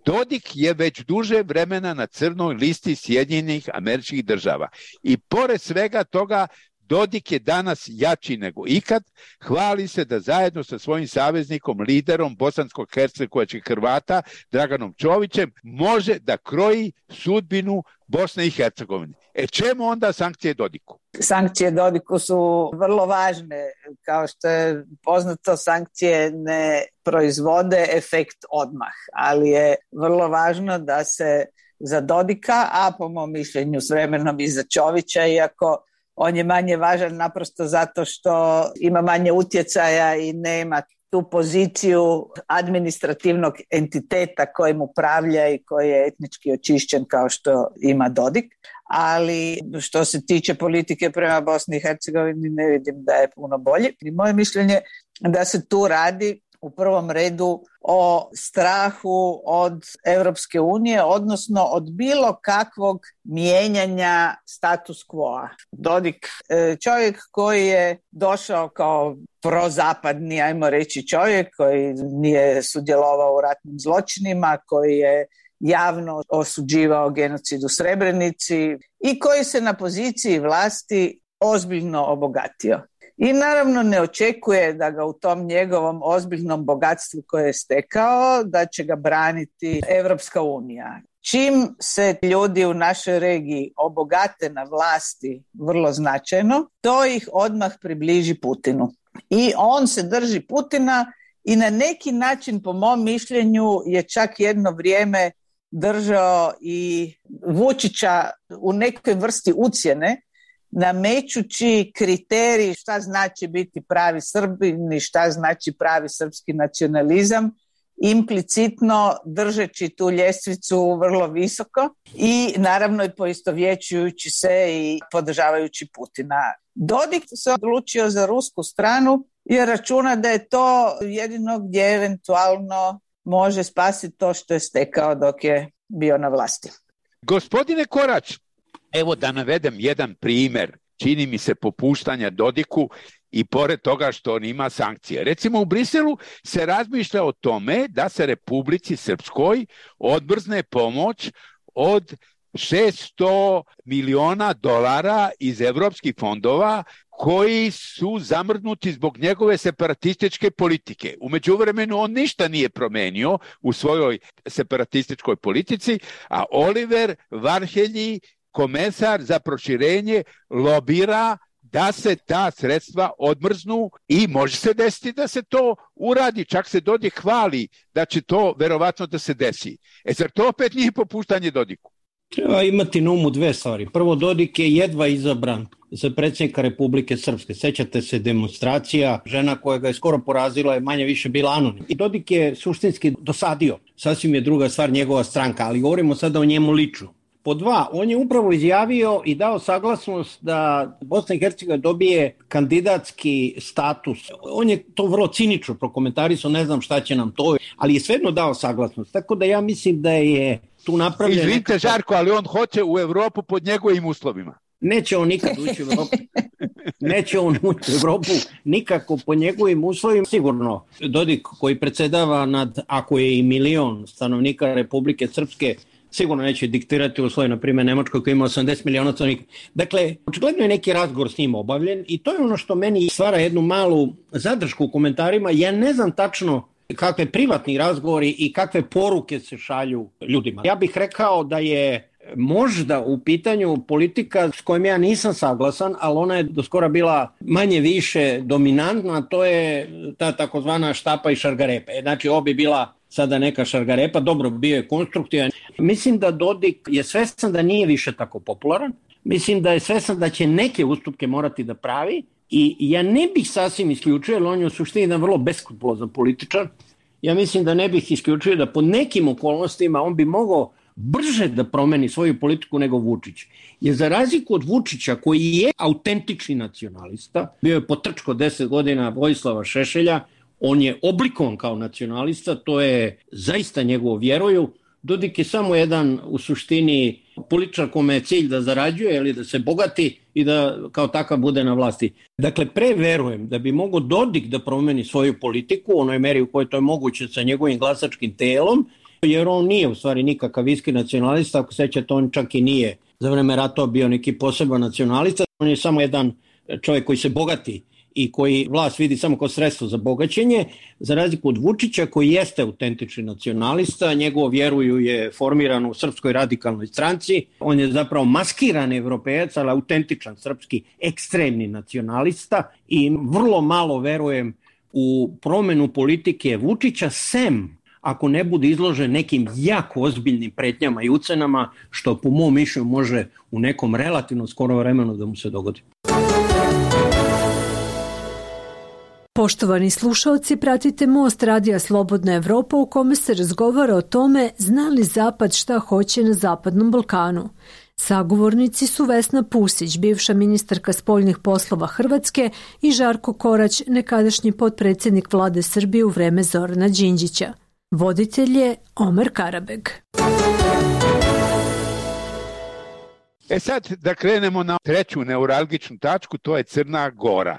Dodik je već duže vremena na crnoj listi Sjedinjenih Američkih Država i pored svega toga Dodik je danas jači nego ikad, hvali se da zajedno sa svojim saveznikom, liderom bosansko-hercegovačkih Hrvata, Draganom Čovićem, može da kroji sudbinu Bosne i Hercegovine. E čemu onda sankcije Dodiku? Sankcije Dodiku su vrlo važne. Kao što je poznato, sankcije ne proizvode efekt odmah, ali je vrlo važno da se za Dodika, a po mom mišljenju s vremenom i za Čovića, iako on je manje važan naprosto zato što ima manje utjecaja i nema tu poziciju administrativnog entiteta kojim upravlja i koji je etnički očišćen kao što ima Dodik. ali što se tiče politike prema Bosni i Hercegovini ne vidim da je puno bolje. I moje mišljenje da se tu radi u prvom redu o strahu od Europske unije, odnosno od bilo kakvog mijenjanja status quo-a. Dodik, čovjek koji je došao kao prozapadni, ajmo reći, čovjek koji nije sudjelovao u ratnim zločinima, koji je javno osuđivao genocid u Srebrenici i koji se na poziciji vlasti ozbiljno obogatio. I naravno ne očekuje da ga u tom njegovom ozbiljnom bogatstvu koje je stekao, da će ga braniti Europska unija. Čim se ljudi u našoj regiji obogate na vlasti vrlo značajno, to ih odmah približi Putinu. I on se drži Putina i na neki način, po mom mišljenju, je čak jedno vrijeme držao i Vučića u nekoj vrsti ucjene, namećući kriterij šta znači biti pravi Srbin i šta znači pravi srpski nacionalizam, implicitno držeći tu ljestvicu vrlo visoko i naravno i poistovjećujući se i podržavajući Putina. Dodik se odlučio za rusku stranu jer računa da je to jedino gdje eventualno može spasiti to što je stekao dok je bio na vlasti. Gospodine Korać, evo da navedem jedan primjer, čini mi se, popuštanja Dodiku i pored toga što on ima sankcije. Recimo u Briselu se razmišlja o tome da se Republici Srpskoj odmrzne pomoć od šesto miliona dolara iz evropskih fondova koji su zamrznuti zbog njegove separatističke politike. U međuvremenu on ništa nije promenio u svojoj separatističkoj politici, a Oliver Varhelji, komesar za proširenje, lobira da se ta sredstva odmrznu i može se desiti da se to uradi. Čak se Dodik hvali da će to verovatno da se desi. E zar to opet nije popuštanje Dodiku? Treba imati na umu dve stvari. Prvo, Dodik je jedva izabran za predsjednika Republike Srpske. Sećate se demonstracija, žena koja ga je skoro porazila je manje više bila anonim. I Dodik je suštinski dosadio. Sasvim je druga stvar njegova stranka, ali govorimo sada o njemu lično. Po dva, on je upravo izjavio i dao saglasnost da Bosna i Hercegovina dobije kandidatski status. On je to vrlo cinično prokomentarisao, ne znam šta će nam to, ali je svejedno dao saglasnost. Tako da ja mislim da je tu napravljeno... Izvinite, nekako... Žarko, ali on hoće u Evropu pod njegovim uslovima. Neće on nikad ući u Evropu. Neće on ući u Evropu nikako po njegovim uslovima. Sigurno, Dodik koji predsjedava nad, ako je i milion stanovnika Republike Srpske, sigurno neće diktirati u svojoj, na primjer, Nemačkoj koja ima osamdeset miliona stanovnika. Dakle, očigledno je neki razgovor s njim obavljen i to je ono što meni stvara jednu malu zadršku u komentarima. Ja ne znam tačno kakve privatni razgovori i kakve poruke se šalju ljudima. Ja bih rekao da je možda u pitanju politika s kojom ja nisam saglasan, ali ona je do skora bila manje više dominantna, to je ta takozvana štapa i šargarepa. Znači, ovo bi bila sada neka šargarepa, dobro, bio je konstruktivan. Mislim da Dodik je svestan da nije više tako popularan, mislim da je svestan da će neke ustupke morati da pravi i ja ne bih sasvim isključio, jer on je u suštini jedan vrlo beskrupulozan političar, ja mislim da ne bih isključio da po nekim okolnostima on bi mogao brže da promeni svoju politiku nego Vučić. Jer za razliku od Vučića, koji je autentični nacionalista, bio je potrčko deset godina Vojislava Šešelja, on je oblikovan kao nacionalista, to je zaista njegovo vjeruju. Dodik je samo jedan u suštini političar kome je cilj da zarađuje ili da se bogati i da kao takav bude na vlasti. Dakle, preverujem da bi mogao Dodik da promeni svoju politiku u onoj meri u kojoj to je moguće sa njegovim glasačkim telom, jer on nije u stvari nikakav iskren nacionalista, ako sećate, on čak i nije za vreme ratova bio neki poseban nacionalista, on je samo jedan čovjek koji se bogati i koji vlast vidi samo kao sredstvo za bogaćenje, za razliku od Vučića koji jeste autentični nacionalista, njegovo vjeruju je formirano u Srpskoj radikalnoj stranci, on je zapravo maskiran evropejac, ali autentičan srpski ekstremni nacionalista i vrlo malo verujem u promjenu politike Vučića, sem ako ne bude izložen nekim jako ozbiljnim pretnjama i ucenama, što po mom mišljenju može u nekom relativno skoro vremenu da mu se dogodi. Poštovani slušalci, pratite Most radija Slobodna Evropa u kome se razgovara o tome zna li Zapad šta hoće na Zapadnom Balkanu. Sagovornici su Vesna Pusić, bivša ministarka spoljnih poslova Hrvatske, i Žarko Korać, nekadašnji potpredsjednik vlade Srbije u vreme Zorana Đinđića. Voditelj je Omer Karabeg. E sad da krenemo na treću neuralgičnu tačku, to je Crna Gora.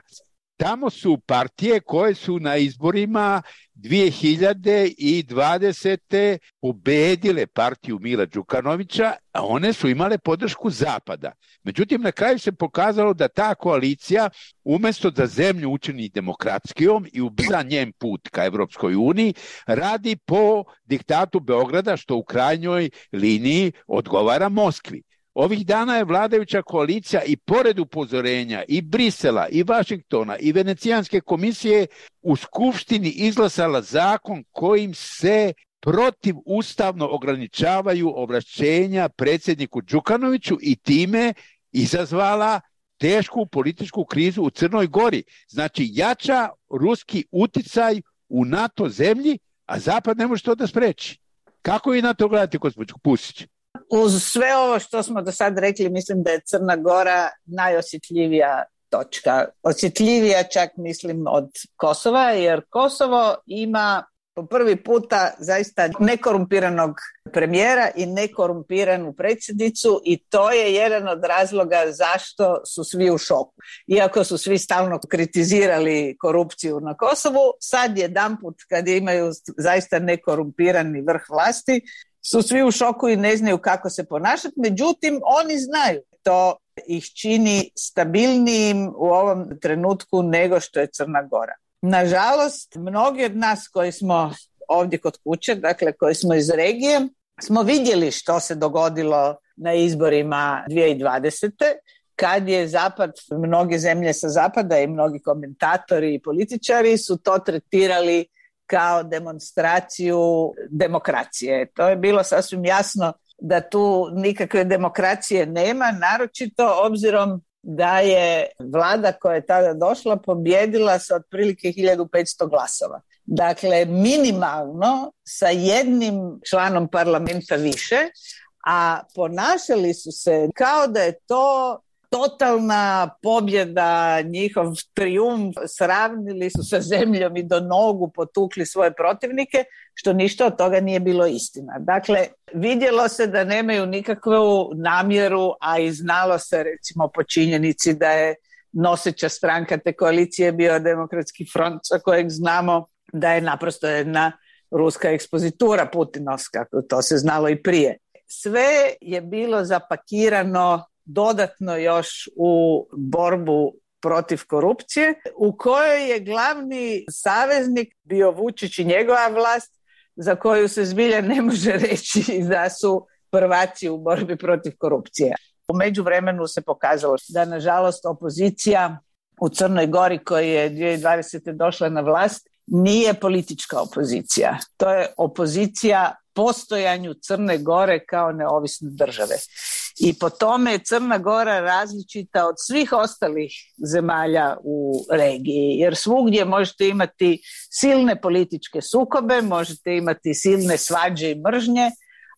Tamo su partije koje su na izborima dvije hiljade dvadesete pobedile partiju Mila Đukanovića, a one su imale podršku Zapada. Međutim, na kraju se pokazalo da ta koalicija, umjesto da zemlju učini demokratskijom i ubrza njen put ka Evropskoj uniji, radi po diktatu Beograda, što u krajnjoj liniji odgovara Moskvi. Ovih dana je vladajuća koalicija i pored upozorenja i Brisela, i Vašingtona, i Venecijanske komisije u Skupštini izglasala zakon kojim se protivustavno ograničavaju ovlašćenja predsjedniku Đukanoviću i time izazvala tešku političku krizu u Crnoj Gori. Znači, jača ruski uticaj u NATO zemlji, a Zapad ne može to da spreči. Kako vi na to gledate, gospođo Pusić? Uz sve ovo što smo do sad rekli, mislim da je Crna Gora najosjetljivija točka. Osjetljivija čak mislim od Kosova, jer Kosovo ima po prvi puta zaista nekorumpiranog premijera i nekorumpiranu predsjednicu i to je jedan od razloga zašto su svi u šoku. Iako su svi stalno kritizirali korupciju na Kosovu, sad jedanput kad imaju zaista nekorumpirani vrh vlasti, su svi u šoku i ne znaju kako se ponašati, međutim oni znaju. To ih čini stabilnijim u ovom trenutku nego što je Crna Gora. Nažalost, mnogi od nas koji smo ovdje kod kuće, dakle koji smo iz regije, smo vidjeli što se dogodilo na izborima dvije hiljade dvadesete kad je Zapad, mnoge zemlje sa Zapada i mnogi komentatori i političari su to tretirali kao demonstraciju demokracije. To je bilo sasvim jasno da tu nikakve demokracije nema, naročito obzirom da je vlada koja je tada došla pobijedila sa otprilike hiljadu petsto glasova. Dakle, minimalno sa jednim članom parlamenta više, a ponašali su se kao da je to totalna pobjeda, njihov trijumf, sravnili su sa zemljom i do nogu potukli svoje protivnike, što ništa od toga nije bilo istina. Dakle, vidjelo se da nemaju nikakvu namjeru, a i znalo se recimo po činjenici da je noseća stranka te koalicije bio Demokratski front, za kojeg znamo da je naprosto jedna ruska ekspozitura Putinovska, to se znalo i prije. Sve je bilo zapakirano dodatno još u borbu protiv korupcije, u kojoj je glavni saveznik bio Vučić i njegova vlast, za koju se zbilja ne može reći da su prvaci u borbi protiv korupcije. U međuvremenu se pokazalo da, nažalost, opozicija u Crnoj Gori, koja je dvije hiljade dvadesete došla na vlast, nije politička opozicija. To je opozicija postojanju Crne Gore kao neovisne države. I po tome je Crna Gora različita od svih ostalih zemalja u regiji, jer svugdje možete imati silne političke sukobe, možete imati silne svađe i mržnje,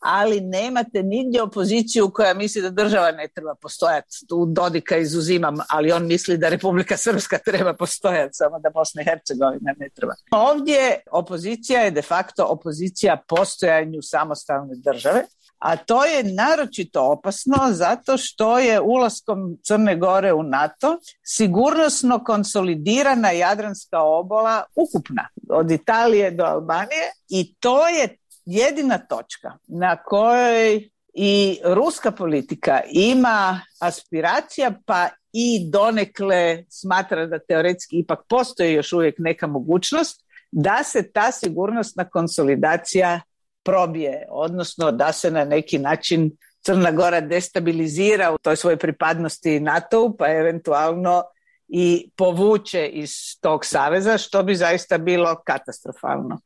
ali nemate nigdje opoziciju koja misli da država ne treba postojati. Tu Dodika izuzimam, ali on misli da Republika Srpska treba postojati, samo da Bosna i Hercegovina ne treba. Ovdje opozicija je de facto opozicija postojanju samostalne države, a to je naročito opasno zato što je ulaskom Crne Gore u NATO sigurnosno konsolidirana Jadranska obala ukupna, od Italije do Albanije, i to je jedina točka na kojoj i ruska politika ima aspiracija, pa i donekle smatra da teoretski ipak postoji još uvijek neka mogućnost da se ta sigurnosna konsolidacija probije, odnosno da se na neki način Crna Gora destabilizira u toj svojoj pripadnosti NATO-u, pa eventualno i povuče iz tog saveza, što bi zaista bilo katastrofalno.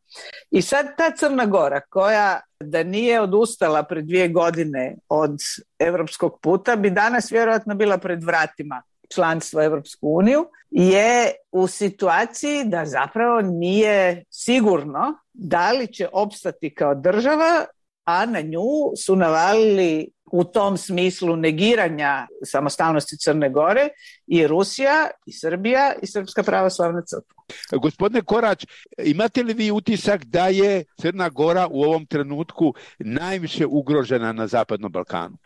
I sad ta Crna Gora, koja da nije odustala pred dvije godine od europskog puta, bi danas vjerojatno bila pred vratima članstvo u Europsku uniju, je u situaciji da zapravo nije sigurno da li će opstati kao država, a na nju su navalili u tom smislu negiranja samostalnosti Crne Gore i Rusija, i Srbija, i Srpska pravoslavna crkva. Gospodine Korać, imate li vi utisak da je Crna Gora u ovom trenutku najviše ugrožena na Zapadnom Balkanu?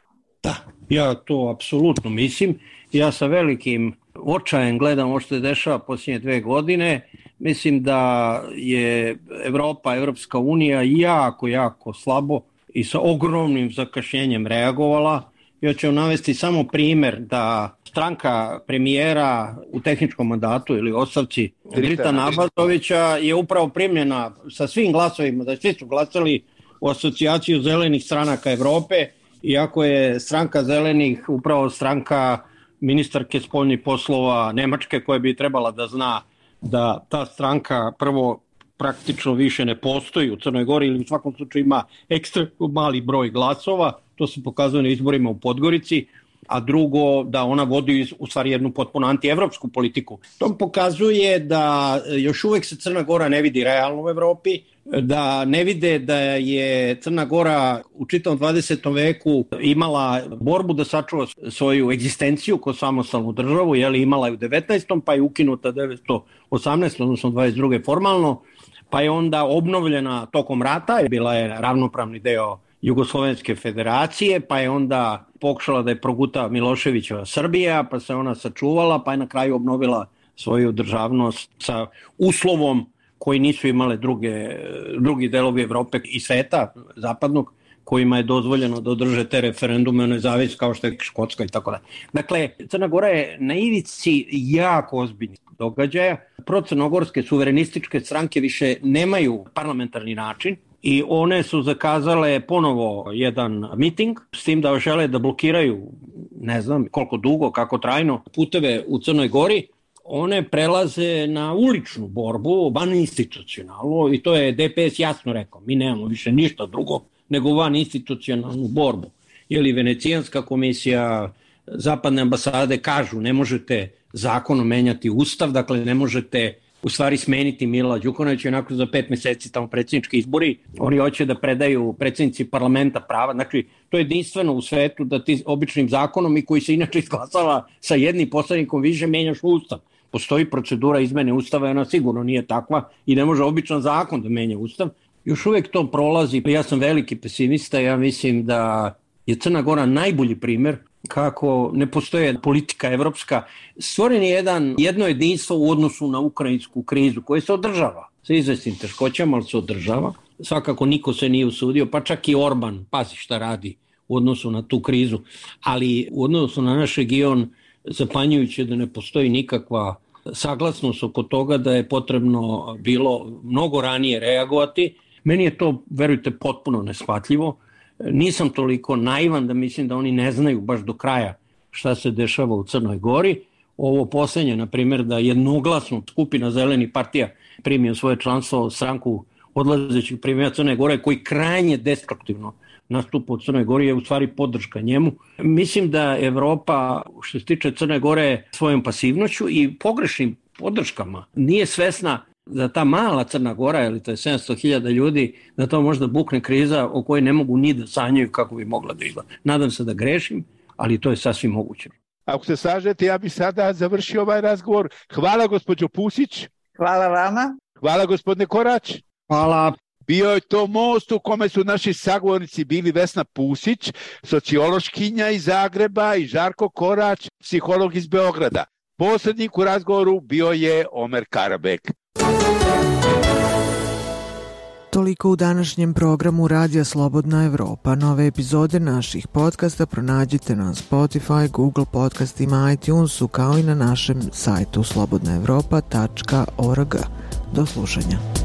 Da, ja to apsolutno mislim. Ja sa velikim očajem gledam ovo što se dešava posljednje dve godine. Mislim da je Evropa, Evropska unija jako, jako slabo i sa ogromnim zakašnjenjem reagovala. Ja ću navesti samo primjer da stranka premijera u tehničkom mandatu ili ostavci Dritana Abazovića je upravo primljena sa svim glasovima, da svi su glasali u asocijaciju zelenih stranaka Evrope, iako je stranka zelenih upravo stranka ministarke spoljnih poslova Nemačke, koja bi trebala da zna da ta stranka prvo praktično više ne postoji u Crnoj Gori ili u svakom slučaju ima ekstremno mali broj glasova, to se pokazuje na izborima u Podgorici, a drugo da ona vodi u stvari jednu potpuno antievropsku politiku. To pokazuje da još uvijek se Crna Gora ne vidi realno u Evropi, da ne vide da je Crna Gora u čitavom dvadesetom veku imala borbu da sačuva svoju egzistenciju kao samostalnu državu, jeli imala je u devetnaestom pa je ukinuta devetsto osamnaestom odnosno dvadeset druge formalno, pa je onda obnovljena tokom rata, bila je ravnopravni deo Jugoslovenske federacije, pa je onda pokušala da je proguta Miloševićeva Srbija, pa se ona sačuvala, pa je na kraju obnovila svoju državnost sa uslovom koji nisu imale druge, drugi delovi Evrope i sveta zapadnog, kojima je dozvoljeno da održe te referendume o nezavisnosti kao što je Škotska i tako da. Dakle, Crna Gora je na ivici jako ozbiljnih događaja. Procrnogorske suverenističke stranke više nemaju parlamentarni način i one su zakazale ponovo jedan miting s tim da žele da blokiraju, ne znam koliko dugo, kako trajno, puteve u Crnoj Gori. One prelaze na uličnu borbu, van institucionalnu, i to je D P S jasno rekao, mi nemamo više ništa drugo nego van institucionalnu borbu. Jeli Venecijanska komisija, zapadne ambasade kažu ne možete zakonom menjati ustav, dakle ne možete u stvari smeniti Mila Đukanovića, onako za pet mjeseci tamo predsjednički izbori, oni hoće da predaju predsjednici parlamenta prava, znači to je jedinstveno u svetu da ti običnim zakonom i koji se inače izglasava sa jednim poslanikom više menjaš ustav. Postoji procedura izmene ustava i ona sigurno nije takva i ne može običan zakon da menja ustav. Još uvijek to prolazi, ja sam veliki pesimista, ja mislim da je Crna Gora najbolji primjer kako ne postoje politika evropska. Stvoren je jedan, jedno jedinstvo u odnosu na ukrajinsku krizu koje se održava sa izvesnim teškoćama, ali se održava. Svakako niko se nije usudio, pa čak i Orban, pazi šta radi u odnosu na tu krizu, ali u odnosu na naš region zapanjujuće da ne postoji nikakva saglasnost oko toga da je potrebno bilo mnogo ranije reagovati. Meni je to, verujte, potpuno neshvatljivo. Nisam toliko naivan da mislim da oni ne znaju baš do kraja šta se dešava u Crnoj Gori. Ovo posljednje, na primjer, da jednoglasno skupina Zelenih partija primio svoje članstvo stranku odlazećih premijera Crne Gore, koji krajnje destruktivno nastupa u Crnoj Gori, je u stvari podrška njemu. Mislim da Evropa, što se tiče Crne Gore, svojom pasivnošću i pogrešnim podrškama nije svesna da ta mala Crna Gora, ili to je sedamsto hiljada ljudi, da to možda bukne kriza o kojoj ne mogu ni da sanjaju kako bi mogla da izgleda. Nadam se da grešim, ali to je sasvim moguće. Ako se slažete, ja bih sada završio ovaj razgovor. Hvala gospođo Pusić. Hvala vama. Hvala gospodine Korać. Hvala. Bio je to most u kome su naši sagovornici bili Vesna Pusić, sociološkinja iz Zagreba, i Žarko Korać, psiholog iz Beograda. Posrednik u razgovoru bio je Omer Karabek. Toliko u današnjem programu Radija Slobodna Evropa. Nove epizode naših podcasta pronađite na Spotify, Google podcastima, iTunesu, kao i na našem sajtu slobodna evropa tačka org. Do slušanja.